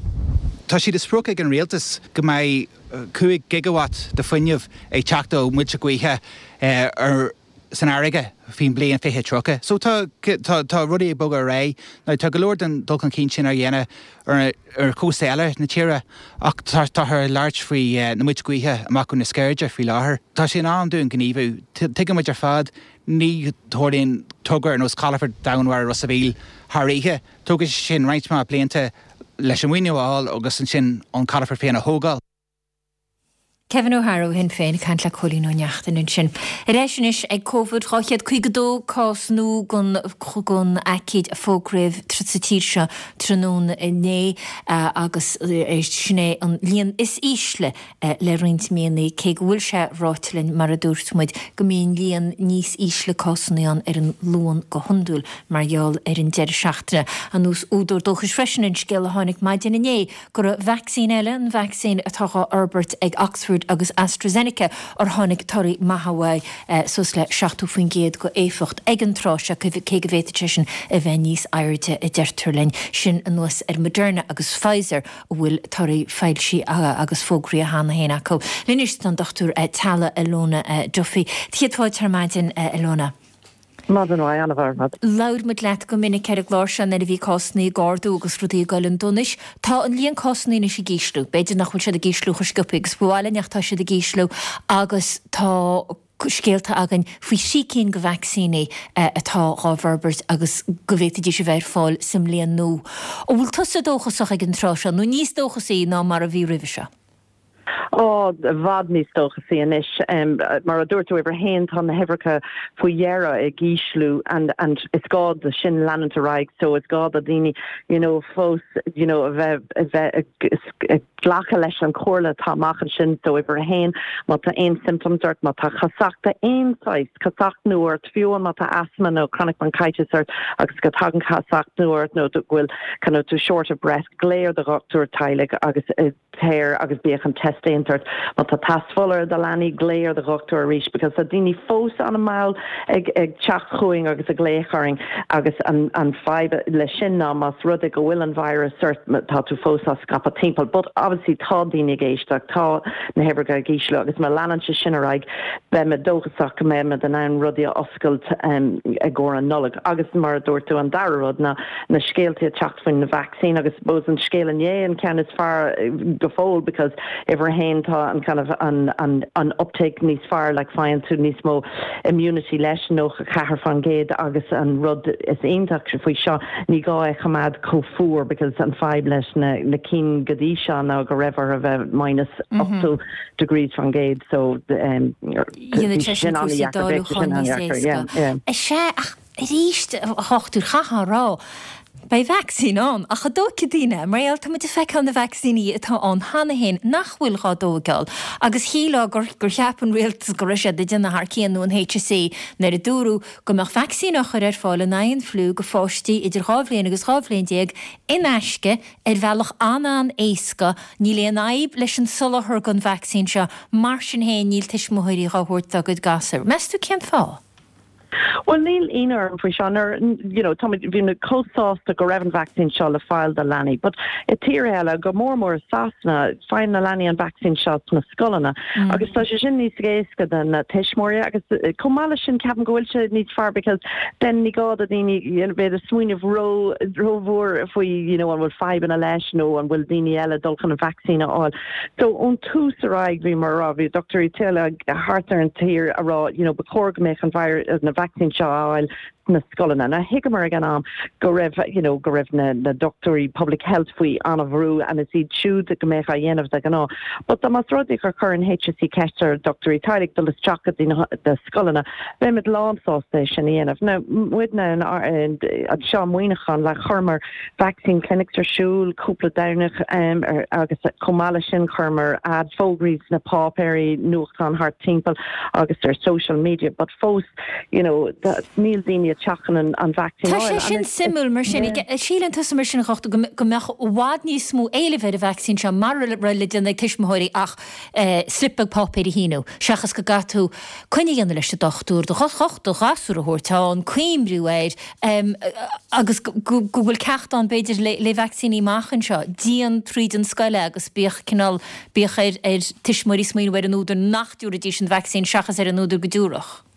Tá sé de sprioc ag an Rialtas go mbeidh cúig gigawatt de fuinneamh ag teacht ó mhuilte gaoithe ar san fharraige faoin bliain fiche tríocha. So tá tá tá rudaí ag bogadh ar aghaidh. Now tá go leor den dul chun cinn sin á dhéanamh ar ar chósta eile na tíre ach tá táthar ag labhairt faoi na muilte gaoithe amach ó na Sceirde faoi láthair. Tá sé in am dúinn gníomhú. Tuigeann muid ar fad ní tharlaíonn togra ar nós Calafort Domhainmhara Ros a' Mhíl thar oíche. Tógfaidh sé sin roinnt mhaith blianta leis an mhaoiniú a fháil agus ansin an calafort féin a thógáil. Kevin O'Hara ó Shinn Féin ag caint le Cóilín Ó Neachtain ansin. Ar ais anois ag Covid dhá chéad caoga dó cás nua den den aicíd a fógraíodh sa tír seo tráthnóna inné agus sin é an líon is ísle le roinnt míonna cé go bhfuil sé ráite linn mar a dúirt muid go mbíonn líon níos ísle cásanna ann ar an Luan go hiondúil mar gheall ar an deireadh seachtaine. Anuas údar dóchais freisin an scéal a tháinig maidin inné go raibh vacsaín eile, an vacsaín atá á fhorbairt ag Oxford agus AstraZeneca, ar tháinig torthaí maithe uaidh, suas le seachtó faoin gcéad go éifeacht ag an tráth seo, cé go bhféadfadh sé sin a bheith níos airde, a deirtear linn. Sin anuas ar Moderna agus Pfizer a bhfuil torthaí foilsithe agus fógraithe cheana féin acu. Linn anois tá an Dochtúir Teaghlaigh Ilona Duffy. Céad fáilte ar maidin, Ilona. Maidin mhaith, ana-mhaith ar fad. Labhair muid leat go minic ar an gclár seo nuair a bhí cásanna ag ardú agus rudaí ag dul chun donais. Tá an líon cásanna anois ag ísliú. B'fhéidir nach bhfuil siad ag ísliú chomh sciobtha agus ba mhaith linn ach tá siad ag ísliú agus tá scéalta againn faoi thrí cinn de vacsaíní atá dhá bhforbairt agus go bhféadfaidís a bheith ar fáil sa mbliain nua. An bhfuil tusa dóchasach ag an tráth seo, nó níos dóchasaí ná mar a bhí roimhe seo? Ó, i bhfad níos dóchasaí anois. Mar a dúirt tú, uimhir a haon, tá na huimhreacha faoi dheireadh ag ísliú and and is gá do sin leanúint ar aghaidh so is gá do daoine you know fós you know a bheith a bheith ag glacadh leis an chomhairle atá amach ansin so uimhir a haon, má tá aon symptoms ort, má tá casacht aon saghas casacht nua ort, fiú má tá asthma nó chronic bronchitis ort agus go dtagann casacht nua ort nó go bhfuil kind of tú short of breath, glaoigh ar do dhochtúir teaghlaigh agus téir agus bíodh an test déanta ort. Má tá teas fola ar do leanaí, glaoigh ar do dhochtúir arís because tá daoine fós an-mhall ag ag teacht chugainn agus ag glaoch orainn agus an an fadhb leis sin ná más rud é go bhfuil an virus ort tá tú fós á scaipeadh timpeall. But obviously tá daoine ag éisteacht, tá na huimhreacha ag ísliú agus má leanann sé sin ar aghaidh beidh mé dóchasach go mbeidh muid in ann rudaí a oscailt um, i gcomhair an Nollaig. Agus mar a dúirt tú an dara rud ná na scéalta ag teacht faoin na vaccine agus suppose an scéal inné an ceann is fearr go fóill because uimhir a haon tá an kind of an an an uptake níos fearr like faigheann tú níos mó immunity leis nócha ceathair faoin gcéad agus an rud is iontach faoi seo ní gá é choimeád chomh fuar because an fadhb leis na na cinn go dtí seo ná go raibh orthu bheith minus ochtó degrees faoin gcéad so um, Dhéanann sé sin cúrsaí dáiliúcháin níos éasca. Is ea ach arís a dhochtúir chaithfeá a rá Beidh vacsaín ann, ach an dtógfaidh daoine, mar gheall tá muid ag feiceáil na vacsaíní atá ann cheana féin nach bhfuil dhá dtóigeáil. Agus shílfeá gur gur cheap an rialtas go raibh siad ag déanamh thar cionn nó an HSE nuair a dúradh go mbeadh vacsaín á chur ar fáil in aghaidh an fliú go pháistí idir dhá bhliain agus dhá bhliain déag in aisce ar bhealach an-an-éasca. Níl aon fhadhb leis an soláthar den vacsaín seo, mar sin féin níl tuismitheoirí dhá thabhairt dá gcuid gasúr. Meas tú cén fáth? Well níl ionadh orm faoi seo nuair you know tá bhí na chomh sásta go raibh an vaccine seo le fáil do leanaí, but i tír eile go mór mór Sasana faigheann na leanaí an vaccine seo sna scoileanna mm. agus tá sé sin níos éasca do na tuismitheoirí agus eh, chomh maith leis sin ceapaim go bhfuil sé níos fearr because then ní gá do daoine bheith ag smaoineamh ró rómhór faoi you know, an bhfuil fadhbanna leis nó an bhfuil daoine eile dul chun an vaccine a fháil. So ón tús ar aghaidh bhí mar rá bhí dochtúirí teaghlaigh thart ar an tír a rá you know, ba chóir go mbeadh an na vaccine seo á fháil na scoileanna. Na thuigeamar ag an am go raibh you know, go raibh na, na dochtúirí public health faoi an-bhrú and is iad siúd go mbeadh á dhéanamh de ghnáth. But más rud é gur chuir an HSE ceist ar dochtúirí teaghlaigh dul isteach go dtí na scoileanna, beimid lánsásta sin a dhéanamh. Now muidne anseo Muineachán le chuireamar vaccine clinics ar siúl cúpla Domhnach um, ar, agus chomh maith leis sin chuireamar ad fógraí sna páipéirí nuachtán thart timpeall agus ar social media, but fós you know, níl daoine teacht chun an, an vaccine. Tá sé sin suimiúil mar sin síleann tusa mar sin go go mbeadh i bhfad níos mó éilimh ar an vaccine seo mura raibh le déanamh ag tuismitheoirí ach eh, slip beag páipéir a shíniú, seachas go gcaithfidh tú coinne a dhéanamh leis an dochtúir do do ghasúr a thabhairt ann coimriú air um, agus go bhfuil ceacht ann b'fhéidir le, le vacsaíní amach anseo, déan tríd an scoil agus bíodh cineál bíodh ar ar tuismitheoirí smaoineamh ar an údar nach dtabharfaidís an vaccine seachas ar an údar go dtabharfadh.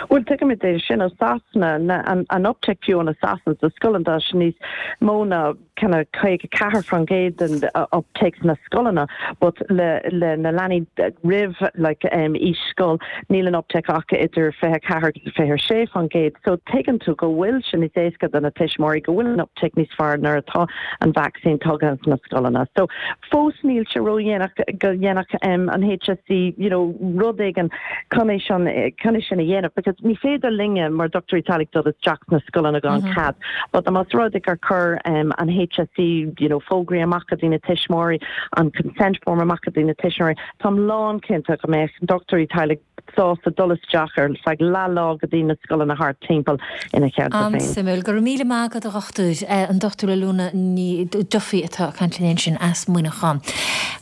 Well tuigimid é sin ó Sasana an, an uptake fiú in Sasana sa scoil tá sin níos mó ná kind of caoga ceathair faoin gcéad den uh, uptake na scoileanna, but le, le na leanaí roimh like, um, aois scoil níl an uptake ach idir fiche ceathair fiche sé faoin gcéad. So tuigeann tú go bhfuil sin níos éasca do na tuismitheoirí go bhfuil an uptake níos fearr nuair atá an vaccine tugtha na scoileanna. So fós níl sé ró-dhéanach go ndéanfadh um, an HSE you know, rud éigin chun sin chun sin a dhéanamh, because ní féidir linne mar dochtúirí teaghlaigh dul isteach na scoileanna gan mm -hmm. cead, but más rud é gur chuir um, an HSE you know, fógraí amach go dtí na tuismitheoirí an consent form amach go dtí na tuismitheoirí Táim lánchinnte go mbeadh dochtúirí teaghlaigh sásta dul isteach ar feadh lá lá go dtí na scoileanna thart timpeall ina chead An-suimiúil go raibh míle maith agat a dhochtúir an Dr Alona Ní Duffy atá ag caint linn sin as Muineachán.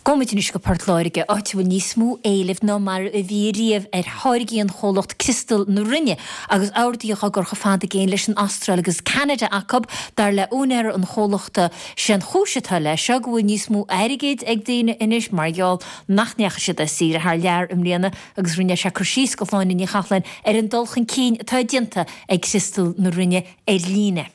Gabhfaimid anois go Port Láirge áit a bhfuil níos mó éilimh ná mar a bhí riamh ar tháirgí an chomhlacht Criostal na Rinne agus orduithe á gcur chomh fada i gcéin leis an Astráil agus Canada acu dar le úinéir an chomhlachta sé an chúis atá leis seo go bhfuil níos mó airgid ag daoine anois mar gheall nach ndeachaigh siad ar saoire thar lear i mbliana agus rinne sé cur síos do Shláine Ní Chathlain ar an dul chun cinn atá déanta ag Criostal na Rinne ar líne.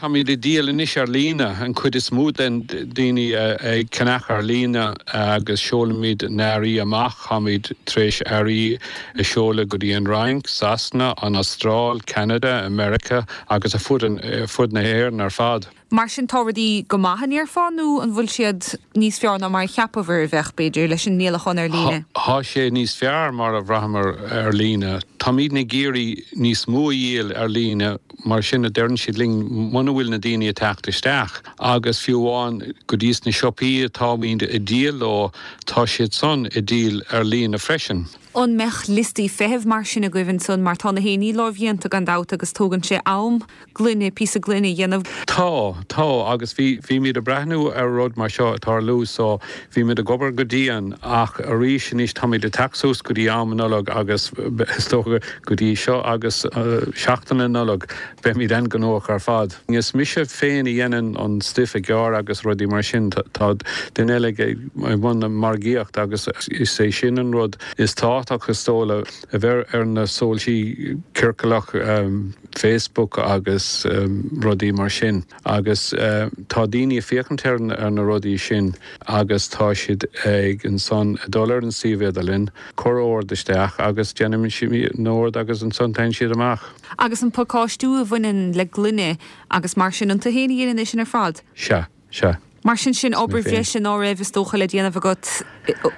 Táimid ag díol anois ar líne an chuid is mó den daoine ag ceannach ar líne agus seolaimid na hearraí amach táimid tar éis earraí a seoladh go dtí an Fhrainc, Sasana, an Astráil, Canada, America agus ar fud fud na hÉireann ar fad. Mar sin tá rudaí go maith an ndéarfá nó an bhfuil siad níos fearr ná mar a cheapabhair a bheadh b'fhéidir leis an ndíolachán ar líne. Tá sé níos fearr mar a bhraitheamar ar líne. Táimid ag iarraidh níos mó a dhíol ar líne mar sin a deireann siad linn muna bhfuil na daoine ag teacht isteach agus fiú amháin go dtí na siopaí atáimid ag díol leo tá siad san ag díol ar líne freisin. An mbeadh liostaí feithimh mar sin agaibh ansan mar tá na héiní lámhdhéanta gan dabht agus tógann sé am gloine píosa gloine a dhéanamh. Tá tá agus bhí bhímid ag breathnú ar rud mar seo tarlú so bhímid ag obair go dian ach arís anois táimid ag teacht suas go dtí am Nollag agus is dócha go dtí seo agus uh, seachtain na Nollag beimid an-ghnóthach ar fad. Is mise féin a dhéanann an stuif a ghearradh agus rudaí mar sin tá duine eile i mbun na margaíocht agus is é sin an rud is tábhachtach is dócha a bheith ar na sóisialta ciorcalach um, Facebook agus um, rudaí mar sin. agus uh, tá daoine ag féachaint ar, ar na rudaí sin agus tá siad ag ansan dul ar an suíomh idirlín cur ord isteach agus déanaimid an t-ord agus ansan téann siad amach. Agus an pacáistiú a bhaineann le gloine agus mar sin an tú féin a dhéanann sin ar fad. Sea, sea. Mar sin sin obair bhreise ná raibh is dócha le déanamh agat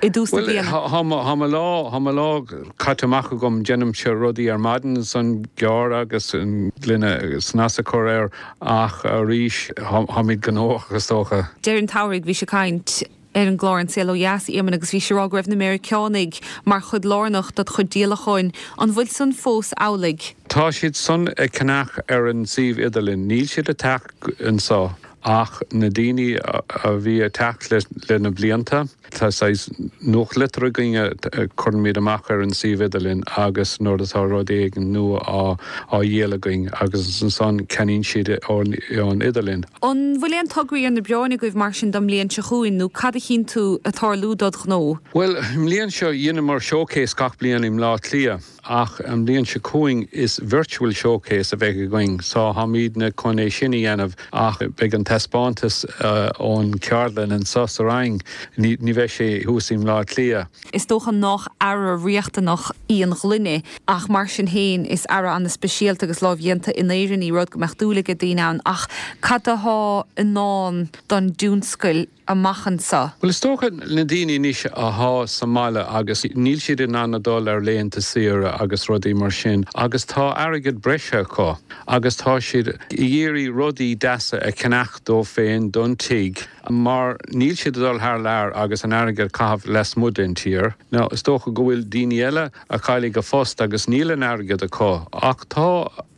i dtús na bliana. Tá lá Tá lá caite amach agam déanaimse rudaí ar maidin san gearr agus an gloine snas a chur air ach arís táimid gnóthach is dócha. Deireadh an tsamhraidh bhí sé ag caint ar an gclár An Saol Ó Dheas Éamonn agus bhí sé ag rá go raibh na Meiriceánaigh mar chuid lárnach dá chuid díolacháin an bhfuil san fós amhlaidh. Tá siad san ag ceannach ar an suíomh idirlín, níl siad ag teacht anseo. Ach na daoine a bhí ag teacht le na blianta, tá saghas nuachtlitir againn a chuirimid amach ar an suíomh idirlín agus nuair atá rud éigin nua á á dhíol againn agus ansan ceannaíonn siad ón idirlíon. An bhfuil aon tograí ar na bioráin agaibh mar sin don mbliain seo chugainn nó cad a chíonn tú ag tarlú dod ghnó? Bhuel, i mbliain seo dheineamar showcase gach bliain i mBleá Cliath. Ach an bhliain seo chugainn is virtual showcase a bheidh againn so táimidne chun é sin a dhéanamh ach beidh an taispeántas ón cheardlann anseo sa Rinn, ní bheidh sé thuas i mBleá Cliath. Is dócha nach earra riachtanach í an ghloine ach mar sin féin is earra ana-speisialta agus lámhdhéanta in Éirinn í, rud go mbeadh dúil ag daoine ann. Ach cad atá i ndán don dtionscal amach anseo? Bhuel, is dócha na daoine anois athá sa mbaile agus níl siad in ann a dul ar laethanta saoire agus rudaí mar sin agus tá airgead breise acu agus tá siad ag iarraidh rudaí deasa a cheannach dóibh féin don tigh mar níl siad ag dul thar lear agus an airgead a chaitheamh lasmuigh den tír. Now, is dócha go bhfuil daoine eile a chaillfidh a phost agus níl an airgead acu ach tá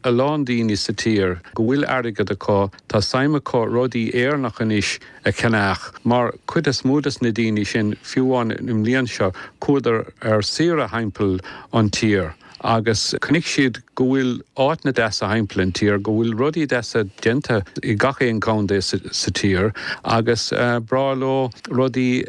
a lán daoine sa tír go bhfuil airgead acu, tá suim acu rudaí Éireannach anois a cheannach mar cuid is mó des na daoine sin, fiú amháin i mbliain seo, chuadar ar saoire thimpeall an tír agus chonaic siad go bhfuil áiteanna deasa thimpeall an tír, go bhfuil rudaí deasa déanta i gach aon contae sa tír agus breá leo rudaí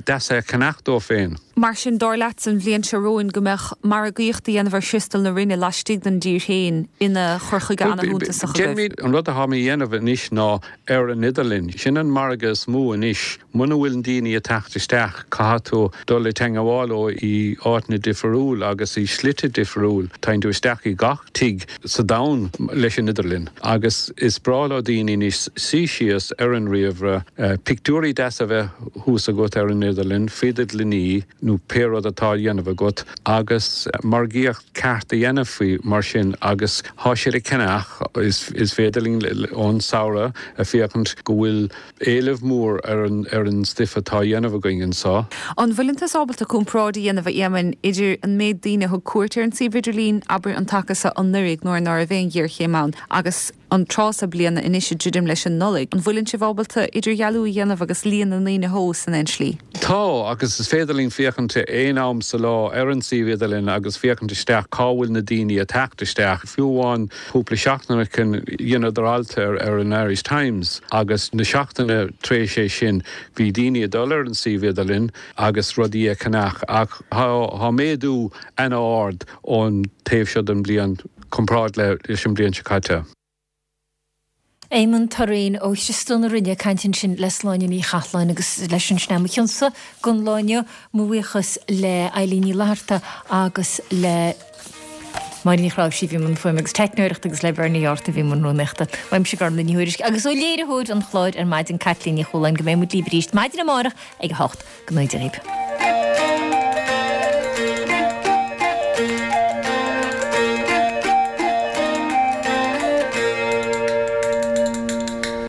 deasa a cheannach dóibh féin. Mar sin, dar leat, an bhliain seo romhainn go mbeadh margaíocht a dhéanamh ar Thriostal na Rinne laistigh den dtír féin ina chur chuige ana-shuntasach agaibh? An rud atá mé a dhéanamh anois ná ar an idirlíon. Sin an margadh is mó anois. Muna bhfuil daoine ag teacht isteach, caithfidh tú dul i dteangmháil leo i áiteanna difriúil agus i slite difriúil. Téann tú isteach i gach tigh sa domhan leis an idirlíon agus is breá leo daoine anois suí síos ar an ríomhaire, pictiúirí deasa a bheith thuas agat ar an idirlíon faoi do ghloiní nó pé rud atá á dhéanamh agat agus margaíocht ceart a dhéanamh faoi mar sin agus thá siad ag ceannach, is féidir linn ón samhradh a féachaint go bhfuil éileamh mór ar an ar an stuif atá á dhéanamh againn anseo. An bhfuileann tusa ábalta comparáid a dhéanamh, a Éamoinn, idir an méid daoine a thug cuairt ar an suíomh idirlín, abair, an taca seo anuraidh nuair ná raibh aon ghéarchéim ann, agus an tráth seo bliana anois ag druidim leis an Nollaig. An bhfuileann sibh ábalta idirdhealú a dhéanamh agus líon na ndaoine a thomhas in aon slí? Tá, agus is féidir linn féachaint aon am sa lá ar an suíomh idirlín agus féachaint isteach cá bhfuil na daoine ag teacht isteach. Fiú amháin cúpla seachtain ó shin dheineadar alt ar ar an Irish Times agus na seachtaine tar éis é sin bhí daoine ag dul ar an suíomh idirlín agus rudaí a cheannach ach tá méadú an-ard ón taobh seo den bhliain comparáid leis an bhliain seo caite. Éamonn Thurraoin ó Thriostal na Rinne ag caint ansin le Sláine Ní Chathalláin agus leis sin sin é mo chionsa don lá inniu. Mo bhuíochas le Eilín Ní Fhlatharta agus le Máire Ní Chráimhsí a bhí i mbun fuaime agus teicneoireachta agus le Bernie York a bhí i mbun rúnaíochta. Uaimse Gormlaith Ní Thuairisg agus ó léiritheoir an chláir ar maidin Caitlín Ní Chualáin go mbeidh muid libh arís maidin amárach ag a hocht. Go mbeidh.